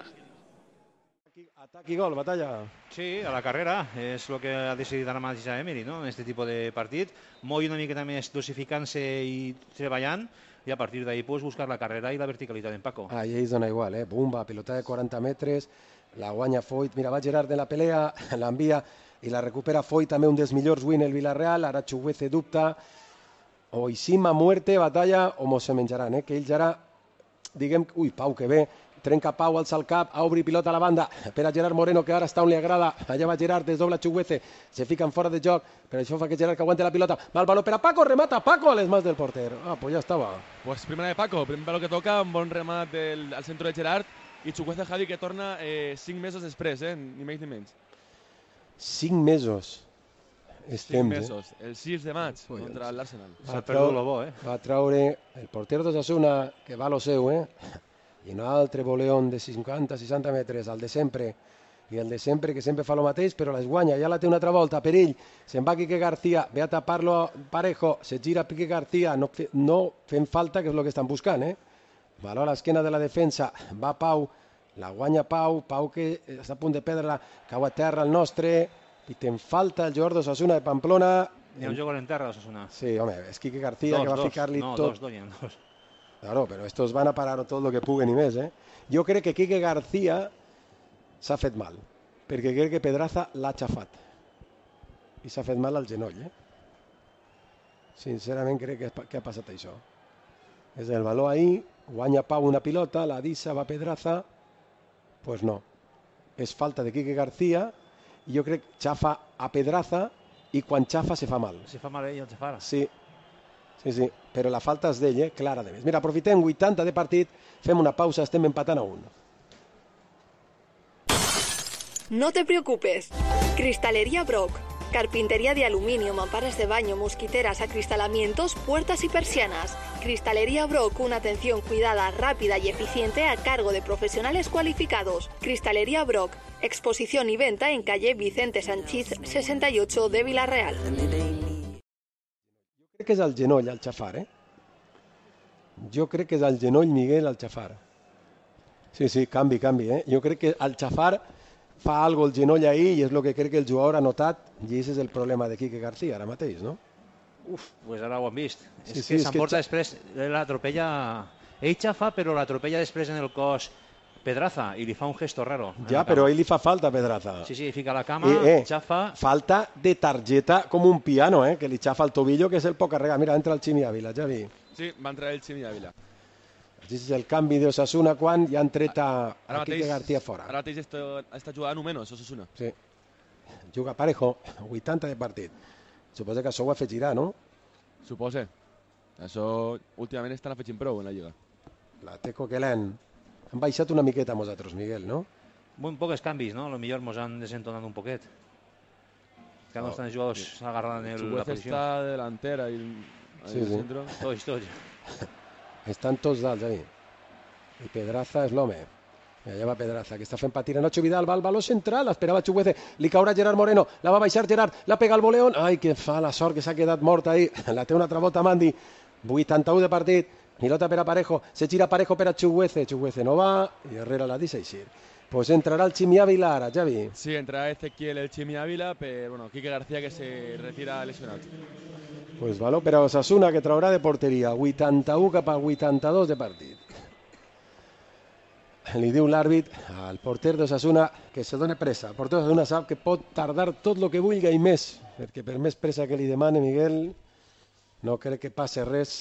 Atac i gol, batalla. Sí, a la carrera. És el que ha decidit ara mateix a Emery, no? En aquest tipus de partit. Moll una miqueta més dosificant-se i treballant. I a partir d'ahí pues, buscar la carrera i la verticalitat en Paco. Ah, i ells dona igual, Bumba, pilota de 40 metres. La guanya Foyt. Mira, va Gerard de la pelea. L'envia i la recupera Foyt, també un dels millors win el Villarreal. Ara Chukwueze dubta. O Isima muerte, batalla, o mos se menjaran, que ells ara, diguem, ui, Pau que bé, trenca Pau, alça el cap, obri pilota a la banda, per a Gerard Moreno, que ara està on li agrada, allà va Gerard, desdobla Chukwueze, se fiquen fora de joc, però això fa que Gerard que aguante la pilota, va el baló per a Paco, remata Paco a les mans del porter, pues ja estava. Pues primera de Paco, primer baló que toca, un bon remat al centre de Gerard, i Chukwueze Javi que torna 5 mesos després, ni més ni menys. 5 mesos. 5 mesos, el 6 de maig contra l'Arsenal. Va traure el porter d'Osasuna, que va a lo seu, i un altre voleón de 50-60 metres, el de sempre, i el de sempre que sempre fa el mateix, però les guanya, ja la té una altra volta, per ell, se'n va Quique García, ve a tapar-lo Parejo, se gira Quique García, no fent falta, que és el que estan buscant, Valor a l'esquena de la defensa, va Pau, la guanya Pau que està a punt de perdre-la, cau a terra el nostre, i te'n falta el jugador d'Osasuna de Pamplona. Hi ha un jugador en terra d'Osasuna. Sí, home, és Quique García que va ficar-li tot. Dos. Claro, però estos van a parar tot el que puguen i més, Jo crec que Quique García s'ha fet mal, perquè crec que Pedraza l'ha xafat. I s'ha fet mal al genoll, Sincerament crec que ha passat això. És el valor ahí, guanya Pau una pilota, la deixa, va Pedraza, pues no. És falta de Quique García, i jo crec que xafa a Pedraza, i quan xafa se fa mal. Se fa mal ell, el xafar. Sí, però la falta és d'ell, clara de més. Mira, aprofitem 80 de partit, fem una pausa, estem empatant a 1. No te preocupes. Cristalería Brock. Carpintería de aluminio, mamparas de baño, mosquiteras, acristalamientos, puertas y persianas. Cristalería Brock, una atención cuidada, rápida y eficiente a cargo de profesionales cualificados. Cristalería Brock, exposición y venta en calle Vicente Sanchís 68 de Vila-real. Jo crec que és el genoll al xafar, Jo crec que és el genoll Miguel al xafar. Sí, canvi, Jo crec que al xafar fa algo el genoll ahí i és el que crec que el jugador ha notat i aquest és el problema de Quique García ara mateix, no? Pues ara ho han vist. És que s'emporta després, l'atropella... Ell xafa, però l'atropella després en el cos Pedraza i li fa un gesto raro. Ja, però ell li fa falta a Pedraza. Sí, fica la cama, xafa... Falta de targeta com un piano, que li xafa el tobillo, que és el poc arreglat. Mira, entra el Ximi Ávila, Javi. Sí, va entrar el Ximi Ávila. Aquest és el canvi d'Osasuna quan ja han tret a Quique García fora. Ara mateix està jugant un menys, Osasuna. Sí. Juga Parejo, 80 de partit. Suposa que això ho ha fet girar, no? Suposa. Això últimament estan afegint prou en la Lliga. La té Coquelin. Han baixat una miqueta amb vosaltres, Miguel, no? Molt pocs canvis, no? A lo millor mos han desentonat un poquet. Que no estan els jugadors agarrant la posició. Està delantera i el centre. Tots. Estan tots dalt, Javi. I Pedraza és l'home. Allà va Pedraza, que està fent patir a Nacho Vidal, va al valor central, esperava Chuguece, li caurà Gerard Moreno, la va baixar Gerard, la pega al voleón, ai, que fa la sort que s'ha quedat mort ahí, la té una altra volta Mandi, 81 de partit, pilota per a Parejo, se gira Parejo per a Chuguece no va, i Herrera la deixa eixir. Pues entrarà el Ximi Ávila ara, Javi. Sí, entrarà Ezequiel el Ximi Ávila, però bueno, Quique García que se retira lesionat. Pues valor per a Osasuna, que traurà de porteria, 81 cap a 82 de partit. Li diu l'àrbit al porter d'Osasuna que se doni pressa. El porter d'Osasuna sap que pot tardar tot el que vulgui i més, perquè per més pressa que li demane Miguel, no crec que passi res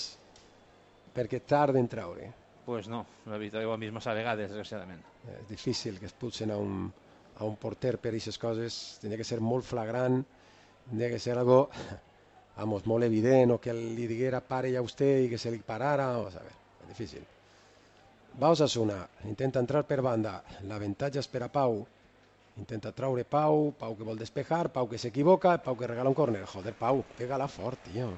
perquè tarda en traure. Pues no, la veritat ho hem vist massa vegades, desgraciadament. És difícil que es pulsen a un porter per aquestes coses, tenia que ser molt flagrant, tenia que ser algo molt evident, o que li diguera pare ja vostè i que se li parara, o saber, és difícil. Va Osasuna, intenta entrar per banda, l'avantatge és per a Pau, intenta traure Pau que vol despejar, Pau que s'equivoca, Pau que regala un córner. Joder, Pau, pega-la fort, tio.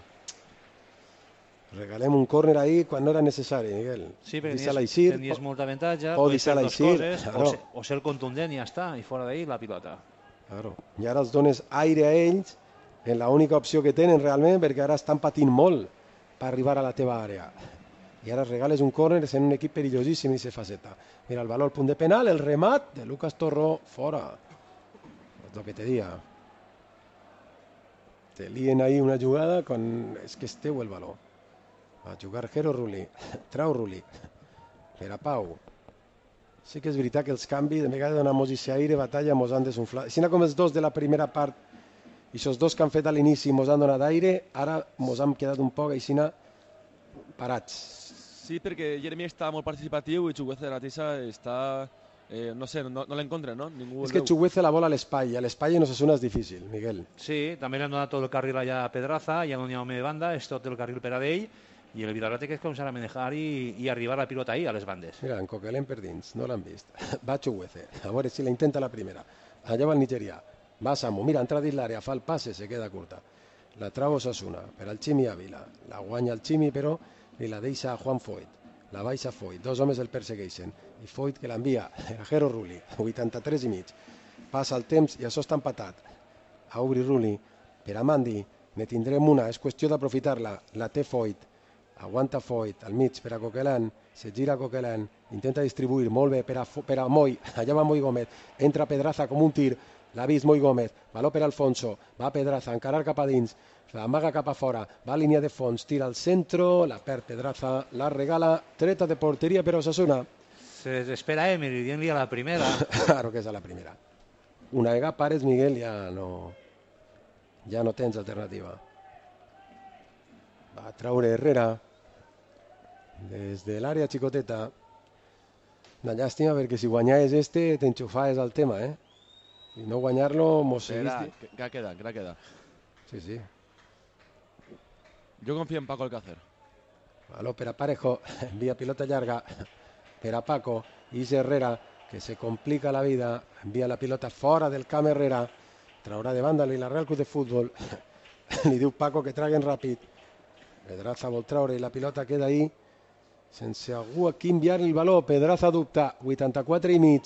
Regalem un córner ahí quan no era necessari, Miguel. Sí, perquè tenies molt avantatge, pots fer dues coses, o ser contundent i ja està, i fora d'ahí la pilota. Claro. I ara els dones aire a ells en l'única opció que tenen realment, perquè ara estan patint molt per arribar a la teva àrea. I ara regales un córner en un equip perillosíssim i se faceta. Mira el valor, el punt de penal, el remat de Lucas Torró, fora. És el que te diga. Te lien ahí una jugada quan és que és teu el valor. Va jugar Jero Rulli, trau Rulli, per a Pau. Sí que és veritat que els canvis, de vegades donar mos i aire, batalla, mos han desunflat. Si no com els dos de la primera part, i els dos que han fet a l'inici mos han donat aire, ara mos han quedat un poc així parats. Sí, perquè Jeremy està molt participatiu i Chuguece de la Tissa està... no sé, no l'encontra, no? És que Chuguece la vol a l'espai, i a l'espai en Osasuna és difícil, Miguel. Sí, també li han donat tot el carril allà a Pedraza, ja no n'hi ha home de banda, és tot el carril per a d'ell, i el Villarreal té que començar a manejar i arribar la pilota ahí, a les bandes. Mira, en Coquelin per dins, no l'han vist. Va Chuguece, a veure si la intenta la primera. Allà va el nigerià, va Samu, mira, entra dins l'àrea, fa el passe, se queda curta. La trau Osasuna, per al Ximi Ávila. La guanya el Ximi, però i la deixa a Juan Foyt. La baixa Foyt, dos homes el persegueixen. I Foyt que l'envia a Jero Rulli, 83 i mig. Passa el temps i això està empatat. A obrir Rulli, per a Mandi, ne tindrem una, és qüestió d'aprofitar-la. La té Foyt, aguanta Foyt, al mig per a Coquelin, se gira Coquelin, intenta distribuir molt bé per a Moi, allà va Moi Gómez, entra Pedraza com un tir, l'ha vist Moi Gómez, valor per Alfonso, va Pedraza, encarar cap a dins, l'amaga cap a fora, va a línia de fons, tira al centre, la perd Pedraza, la regala, treta de porteria per Osasuna. Se espera Emery, dient-li a la primera. Claro que és a la primera. Una vegada pares, Miguel, ja no tens alternativa. Va traure Herrera, des de l'àrea xicoteta. Una llàstima perquè si guanyaves t'enxufaves al tema, i no guanyar-lo mos seguiste. Gran queda. Sí. Yo confío en Paco Alcácer. Baló per a Parejo, envia pilota llarga per a Paco, i Herrera, que se complica la vida, envia la pilota fora del camp Herrera, traurà de banda el Villarreal Club de Futbol, li diu Paco que traguen ràpid, Pedraza vol traure i la pilota queda ahí, sense algú a qui enviar el baló. Pedraza dubta, 84 i mig.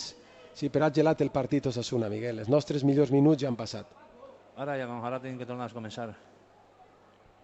Sí, però ha gelat el partit Osasuna, Miguel. Els nostres millors minuts ja han passat. Ara ja no, ara tenim que tornar a començar.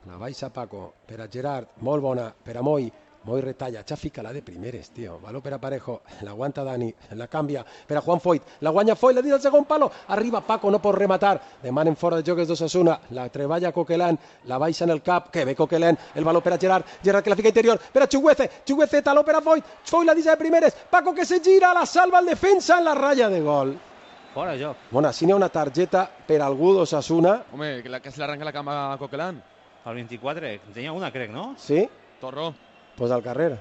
La baixa Paco, per a Gerard, molt bona, per a Moi retalla, ja fica-la de primeres, tio. Baló per a Parejo, l'aguanta Dani, la canvia per a Juan Foyt, la guanya Foyt, la tira al segon palo, arriba Paco, no pot rematar, demanen fora de joc els d'Osasuna, la treballa Coquelin, la baixa en el cap, que ve Coquelin, el baló per a Gerard que la fica interior, per a Chuguece, taló per a Foyt la deixa de primeres, Paco que se gira, la salva el defensa en la ratlla de gol. Fora de joc. Bona, si n'hi ha una targeta per algú d'Osasuna. Home, que se l'arranca la cama a Coquelin. Al 24, tenia una, crec, no? Sí? Torró. Pues al carrer.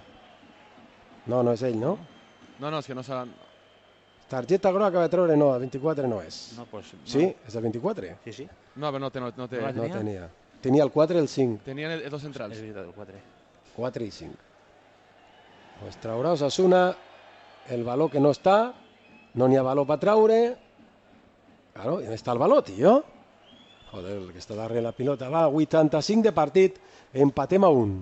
No és ell, no? No, és que no serà... Targeta groga que va treure, no, el 24 no és. No, pues... No. Sí? És el 24? Sí. No, però no té. No tenia. Tenia el 4 i el 5. Tenien els dos centrals. És veritat, el 4. 4 i 5. Pues traurà Osasuna el baló que no està, no n'hi ha baló per traure. Claro, on està el baló, tio? Joder, el que està darrere la pilota. Va, 85 de partit, empatem a 1.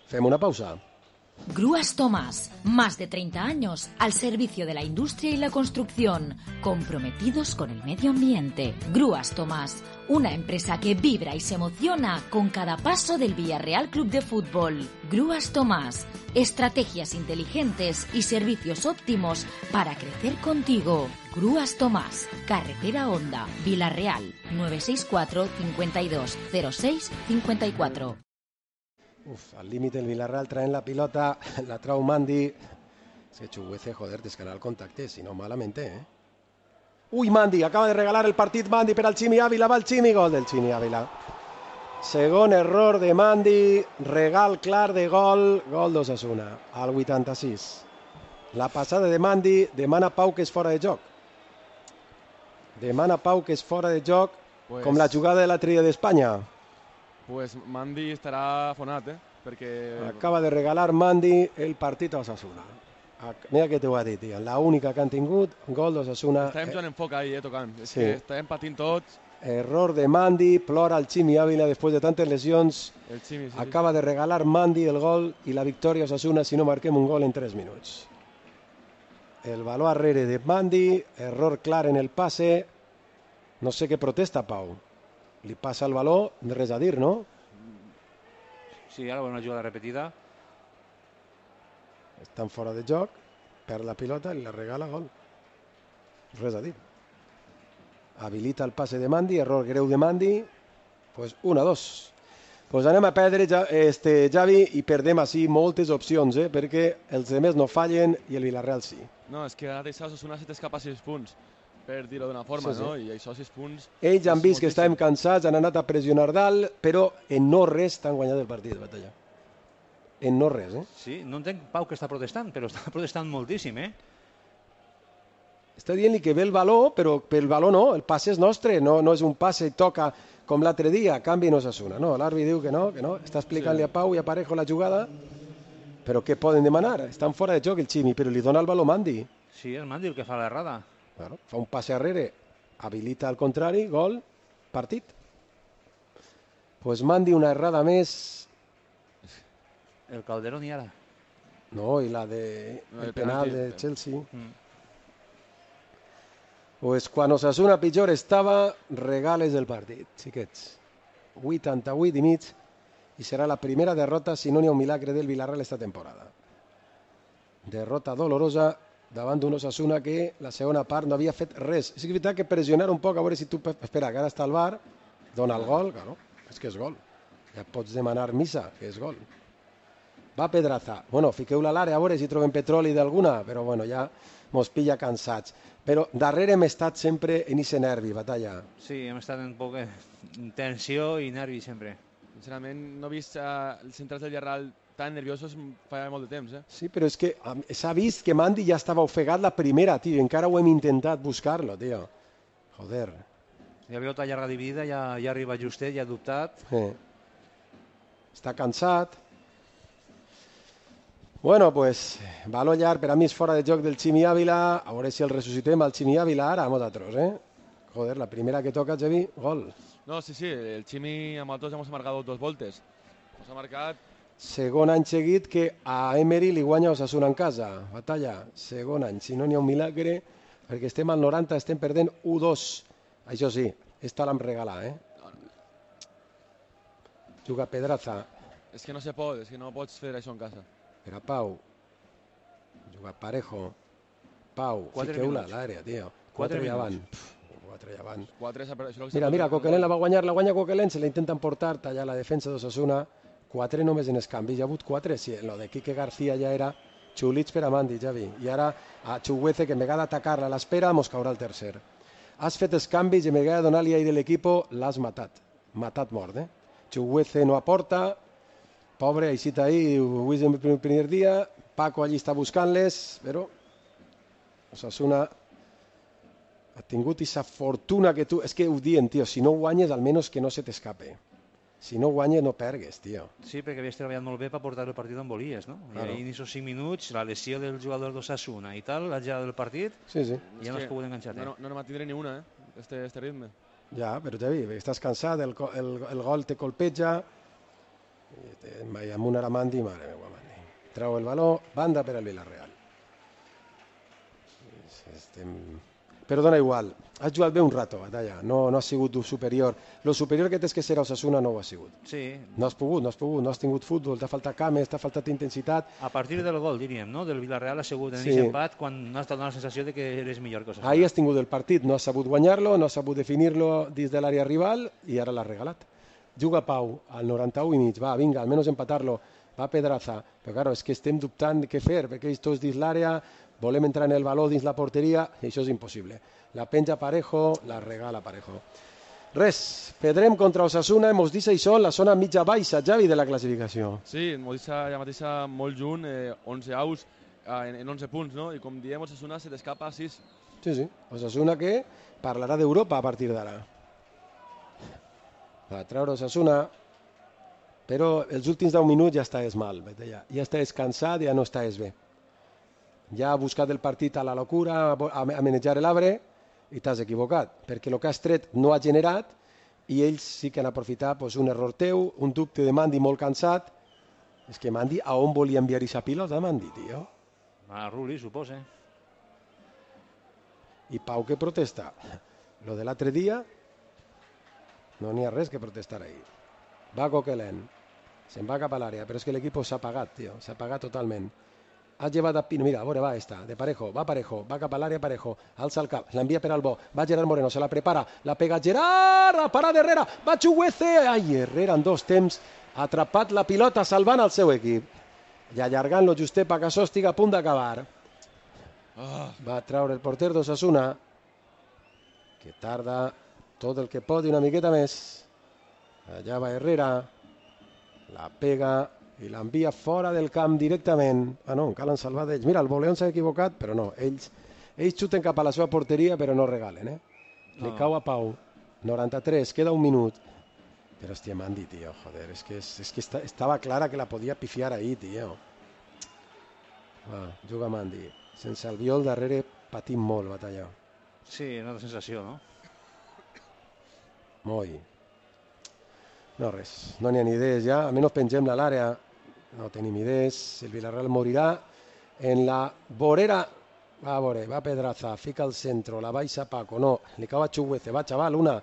Fem una pausa. Grúas Tomás, más de 30 años al servicio de la industria y la construcción, comprometidos con el medio ambiente. Grúas Tomás, una empresa que vibra y se emociona con cada paso del Villarreal Club de Fútbol. Grúas Tomás, estrategias inteligentes y servicios óptimos para crecer contigo. Grúas Tomás, Carretera Honda, Villarreal, 964 52 06 54. Al límite el Villarreal traen la pilota, la trau Mandi. Es que Chuguece, joder, descargar el contacte, si no malamente, Uy, Mandi, acaba de regalar el partit Mandi per al Chimi Ávila, va el Chimi, gol del Chimi Ávila. Segon error de Mandi, regal clar de gol d'Osasuna, al 86. La passada de Mandi demana Pau que és fora de joc. Demana Pau que és fora de joc, com la jugada de la tria d'Espanya. Pues Mandi estarà fonat, perquè... Acaba de regalar Mandi el partit a Osasuna. Mira que t'ho ha dit, tio. La única que han tingut, gol d'Osasuna. Estàvem jugant en foc ahí, tocant. És Sí. que estàvem patint tots. Error de Mandi, plora el Chimi Ávila després de tantes lesions. El Chimi, sí. Acaba de regalar Mandi el gol i la victòria a Osasuna si no marquem un gol en 3 minuts. El baló arrere de Mandi, error clar en el passe. No sé què protesta Pau. Li passa el baló, res a dir, no? Sí, ara una jugada repetida. Estan fora de joc, perd la pilota i la regala, gol. Res a dir. Habilita el passe de Mandi, error greu de Mandi. Pues 1-2. Pues anem a perdre, Javi, i perdem així moltes opcions, perquè els demés no fallen i el Villarreal sí. No, és que ara deixar Osasuna se t'escapa 6 punts, per dir-ho d'una forma, Sí. no? I això 6 punts... Ells han és vist que moltíssim. estàvem cansats, han anat a pressionar dalt, però en no res t'han guanyat el partit, batalla. En no res, Sí, no entenc Pau que està protestant, però està protestant moltíssim, Està dient-li que ve el baló, però pel baló no, el passe és nostre, no és un passe i toca com l'altre dia, canvi no s'assuna. No, l'àrbitre diu que no, està explicant-li a Pau i a Parejo la jugada, però què poden demanar? Estan fora de joc el Chimi, però li dona el baló Mandi. Sí, és Mandi el que fa l'errada. Claro, fa un passe arrere, habilita al contrari, gol, partit. Pues Mandi una errada més. El Calderón i ara. No, i la de el penal de Chelsea. Pues quan Osasuna pitjor estava, regales del partit, xiquets. 88 i mig, i serà la primera derrota, si no n'hi ha un milagre del Villarreal esta temporada. Derrota dolorosa davant d'un Osasuna que la segona part no havia fet res. És veritat que pressionar un poc, a veure si tu... Espera, que ara està al bar, dona el gol, claro, és que és gol. Ja pots demanar missa, que és gol. Va Pedraza. Bueno, fiqueu-la a l'àrea, a veure si trobem petroli d'alguna, però bueno, ja mos pilla cansats. Però darrere hem estat sempre en ese nervi, batalla. Sí, hem estat en poca tensió i nervi sempre. Sincerament, no he vist els centrals del Villarreal tan nerviosos fa molt de temps. Sí, però és que s'ha vist que Mandi ja estava ofegat la primera, tio, i encara ho hem intentat buscar-lo, tio. Joder. Ja veu la llarga dividida, ja arriba justet, ja ha dubtat. Està cansat. Bueno, pues, valor llarg, per a mi és fora de joc del Ximi Ávila, a veure si el ressuscitem al Ximi Ávila ara, nosaltres, Joder, la primera que toca, Javi, gol. No, sí, el Ximi amb altres hemos marcado 2 voltes. Ens ha marcat... Segon any seguit que a Emery li guanya Osasuna en casa. Batalla, segon any, si no n'hi ha un milagre, perquè estem al 90, estem perdent 1-2. Això sí, esta l'hem regalat, Juga Pedraza. És que no se pot, és que no pots fer això en casa. Per a Pau. Juga Parejo. Pau, fiqueu-la a l'àrea, tio. 4 ja van. 4 ja van. Mira, Coquelin la va guanyar, la guanya Coquelin, se la intenten portar, tallar la defensa d'Osasuna. 4 només en escanvi, ja ha hagut 4, sí, lo de Quique García ja era xulits per a Mandi, Javi, i ara a Chuguece, que en vegada d'atacar-la a l'espera, mos caurà el tercer. Has fet els canvis i en vegada de donar-li aire a l'equip, l'has matat mort, Chuguece no aporta, pobre, així està ahí, avui és el primer dia, Paco allí està buscant-les, però Osasuna ha tingut aquesta fortuna que tu, és que ho diem, tio, si no guanyes, almenys que no se t'escape. Si no guanyes, no pergues, tio. Sí, perquè havies treballat molt bé per portar el partit on volies, no? Claro. I en aquests 5 minuts, la lesió del jugador d'Osasuna i tal, la del partit, ja no has pogut enganxar. No va tindre ni una, este ritme. Ja, però Javi, estàs cansat, el gol te colpeja, i amb un Aramandi, mare meva, treu el valor, banda per al Villarreal. Però dona igual, has jugat bé un rato, Batalla, no has sigut superior. Lo superior que tens que ser a Osasuna no ho ha sigut. Sí. No has pogut, no has tingut futbol, t'ha faltat cames, t'ha faltat intensitat. A partir del gol, diríem, no? Del Villarreal ha sigut en aquest empat quan has donat la sensació de que eres millor que Osasuna. Ahí has tingut el partit, no has sabut guanyar-lo, no has sabut definir-lo dins de l'àrea rival i ara l'has regalat. Juga Pau al 91 i mig, va, vinga, almenys empatar-lo, va Pedraza, però claro, és que estem dubtant què fer, perquè ells tots dins l'àrea, volem entrar en el valor dins la porteria i això és impossible. La penja Parejo, la regala Parejo. Res, perdrem contra Osasuna, mos deixa això en la zona mitja baixa, Javi, de la classificació. Sí, mos deixa ja mateixa molt junt, 11 aus en 11 punts, no? I com diem, Osasuna se t'escapa a 6. Sí, Osasuna que parlarà d'Europa a partir d'ara. Va treure Osasuna, però els últims 10 minuts ja estàs mal, ja estàs cansat, ja no estàs bé. Ja ha buscat el partit a la locura, a manejar l'arbre, i t'has equivocat, perquè el que has tret no ha generat i ells sí que han aprofitat un error teu, un dubte de Mandi molt cansat. És que Mandi, a on volia enviar aquesta pilota, Mandi, tio? A Rulli, suposa. I Pau que protesta. Lo de l'altre dia, no n'hi ha res que protestar ahí. Va Coquelin, se'n va cap a l'àrea, però és que l'equip s'ha apagat, tio, s'ha apagat totalment. Has llevat a Pino, mira, a veure, va esta, de Parejo, va cap a l'àrea Parejo, alça el cap, l'envia per al bo, va Gerard Moreno, se la prepara, la pega Gerard, la parada d'Herrera, va Chuguece, ai, Herrera en 2 temps, ha atrapat la pilota salvant el seu equip, i allargant-lo justet perquè això estigui a punt d'acabar. Va treure el porter d'Osasuna, que tarda tot el que pot i una miqueta més. Allà va Herrera, la pega i l'envia fora del camp directament. No, encara han salvat ells. Mira, el Boleón s'ha equivocat, però no. Ells xuten cap a la seva porteria, però no regalen. Li cau a Pau. 93, queda un minut. Però hòstia, Mandi, tio, joder, és que estava clara que la podia pifiar ahí, tio. Va, juga Mandi. Sense el Viol darrere patim molt, Batalla. Sí, una sensació, no? Molt. No, res, no n'hi ha ni idees ja, almenys pengem-la a l'àrea, no tenim idees, el Villarreal morirà en la vorera, va Pedraza, fica al centro, la baixa Paco, no, li cau a Chuguece, va xaval, una,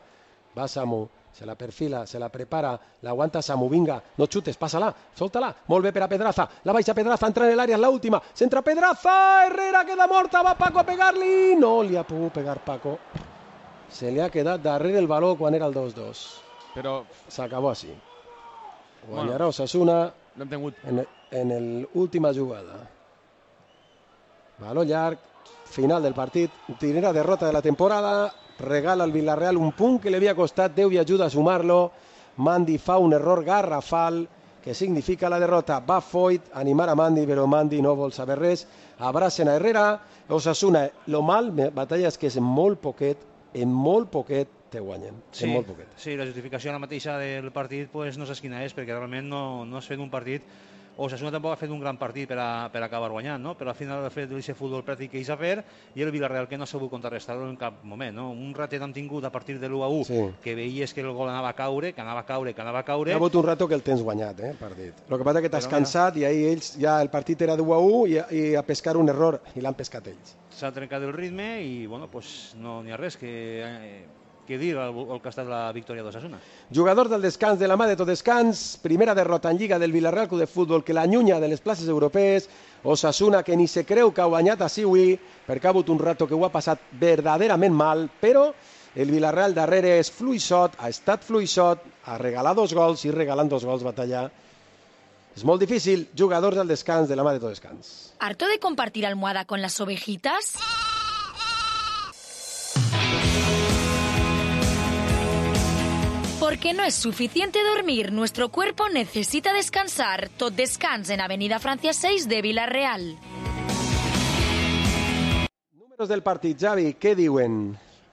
va Samu, se la perfila, se la prepara, l'aguanta Samu, vinga, no xutes, passa-la, solta-la, molt bé per a Pedraza, la baixa Pedraza, entra en l'àrea, és l'última, centra Pedraza, Herrera queda morta, va Paco a pegar-li, no li ha pogut pegar Paco, se li ha quedat darrere el valor quan era el 2-2. Però s'acabó així. Guanyarà Osasuna en l'última jugada. Valor llarg, final del partit, primera derrota de la temporada, regala al Villarreal un punt que li havia costat 10 i ajuda a sumar-lo. Mandy fa un error garrafal que significa la derrota. Va Foyt a animar a Mandy, però Mandy no vol saber res. Abracen a Herrera. Osasuna, lo mal, batalla és que és en molt poquet te guanyen. Sí, molt poquet. Sí, la justificació la mateixa del partit pues, no saps quina és, perquè realment no has fet un partit. Osasuna tampoc ha fet un gran partit per acabar guanyant, no? Però al final ha fet aquest futbol pràctic que ells ha fet i el Villarreal que no ha sabut contrarrestar-lo en cap moment, no? Un ratet han tingut a partir de l'1-1 sí. Que veies que el gol anava a caure, que anava a caure. Hi ha hagut un rato que el tens guanyat, el partit. El que passa que t'has cansat i ahir ells ja el partit era de 1-1 i a pescar un error i l'han pescat ells. S'ha trencat el ritme i bueno, pues, no n'hi ha res que dir el que ha estat la victòria d'Osasuna. Jugador del descans de la mà de tot descans, primera derrota en Lliga del Villarreal Club de Futbol que l'allunya de les places europees. Osasuna que ni se creu que ha guanyat a Siwi perquè ha hagut un rato que ho ha passat verdaderament mal, però el Villarreal darrere és fluixot, ha estat fluixot, ha regalat 2 gols i regalant 2 gols batalla. És molt difícil, jugadors del descans de la mà de tot descans. ¿Harto de compartir almohada con las ovejitas? Porque no es suficiente dormir, nuestro cuerpo necesita descansar. Tot descans en Avenida Francia 6 de Villarreal. Números del partit, Xavi, què diuen?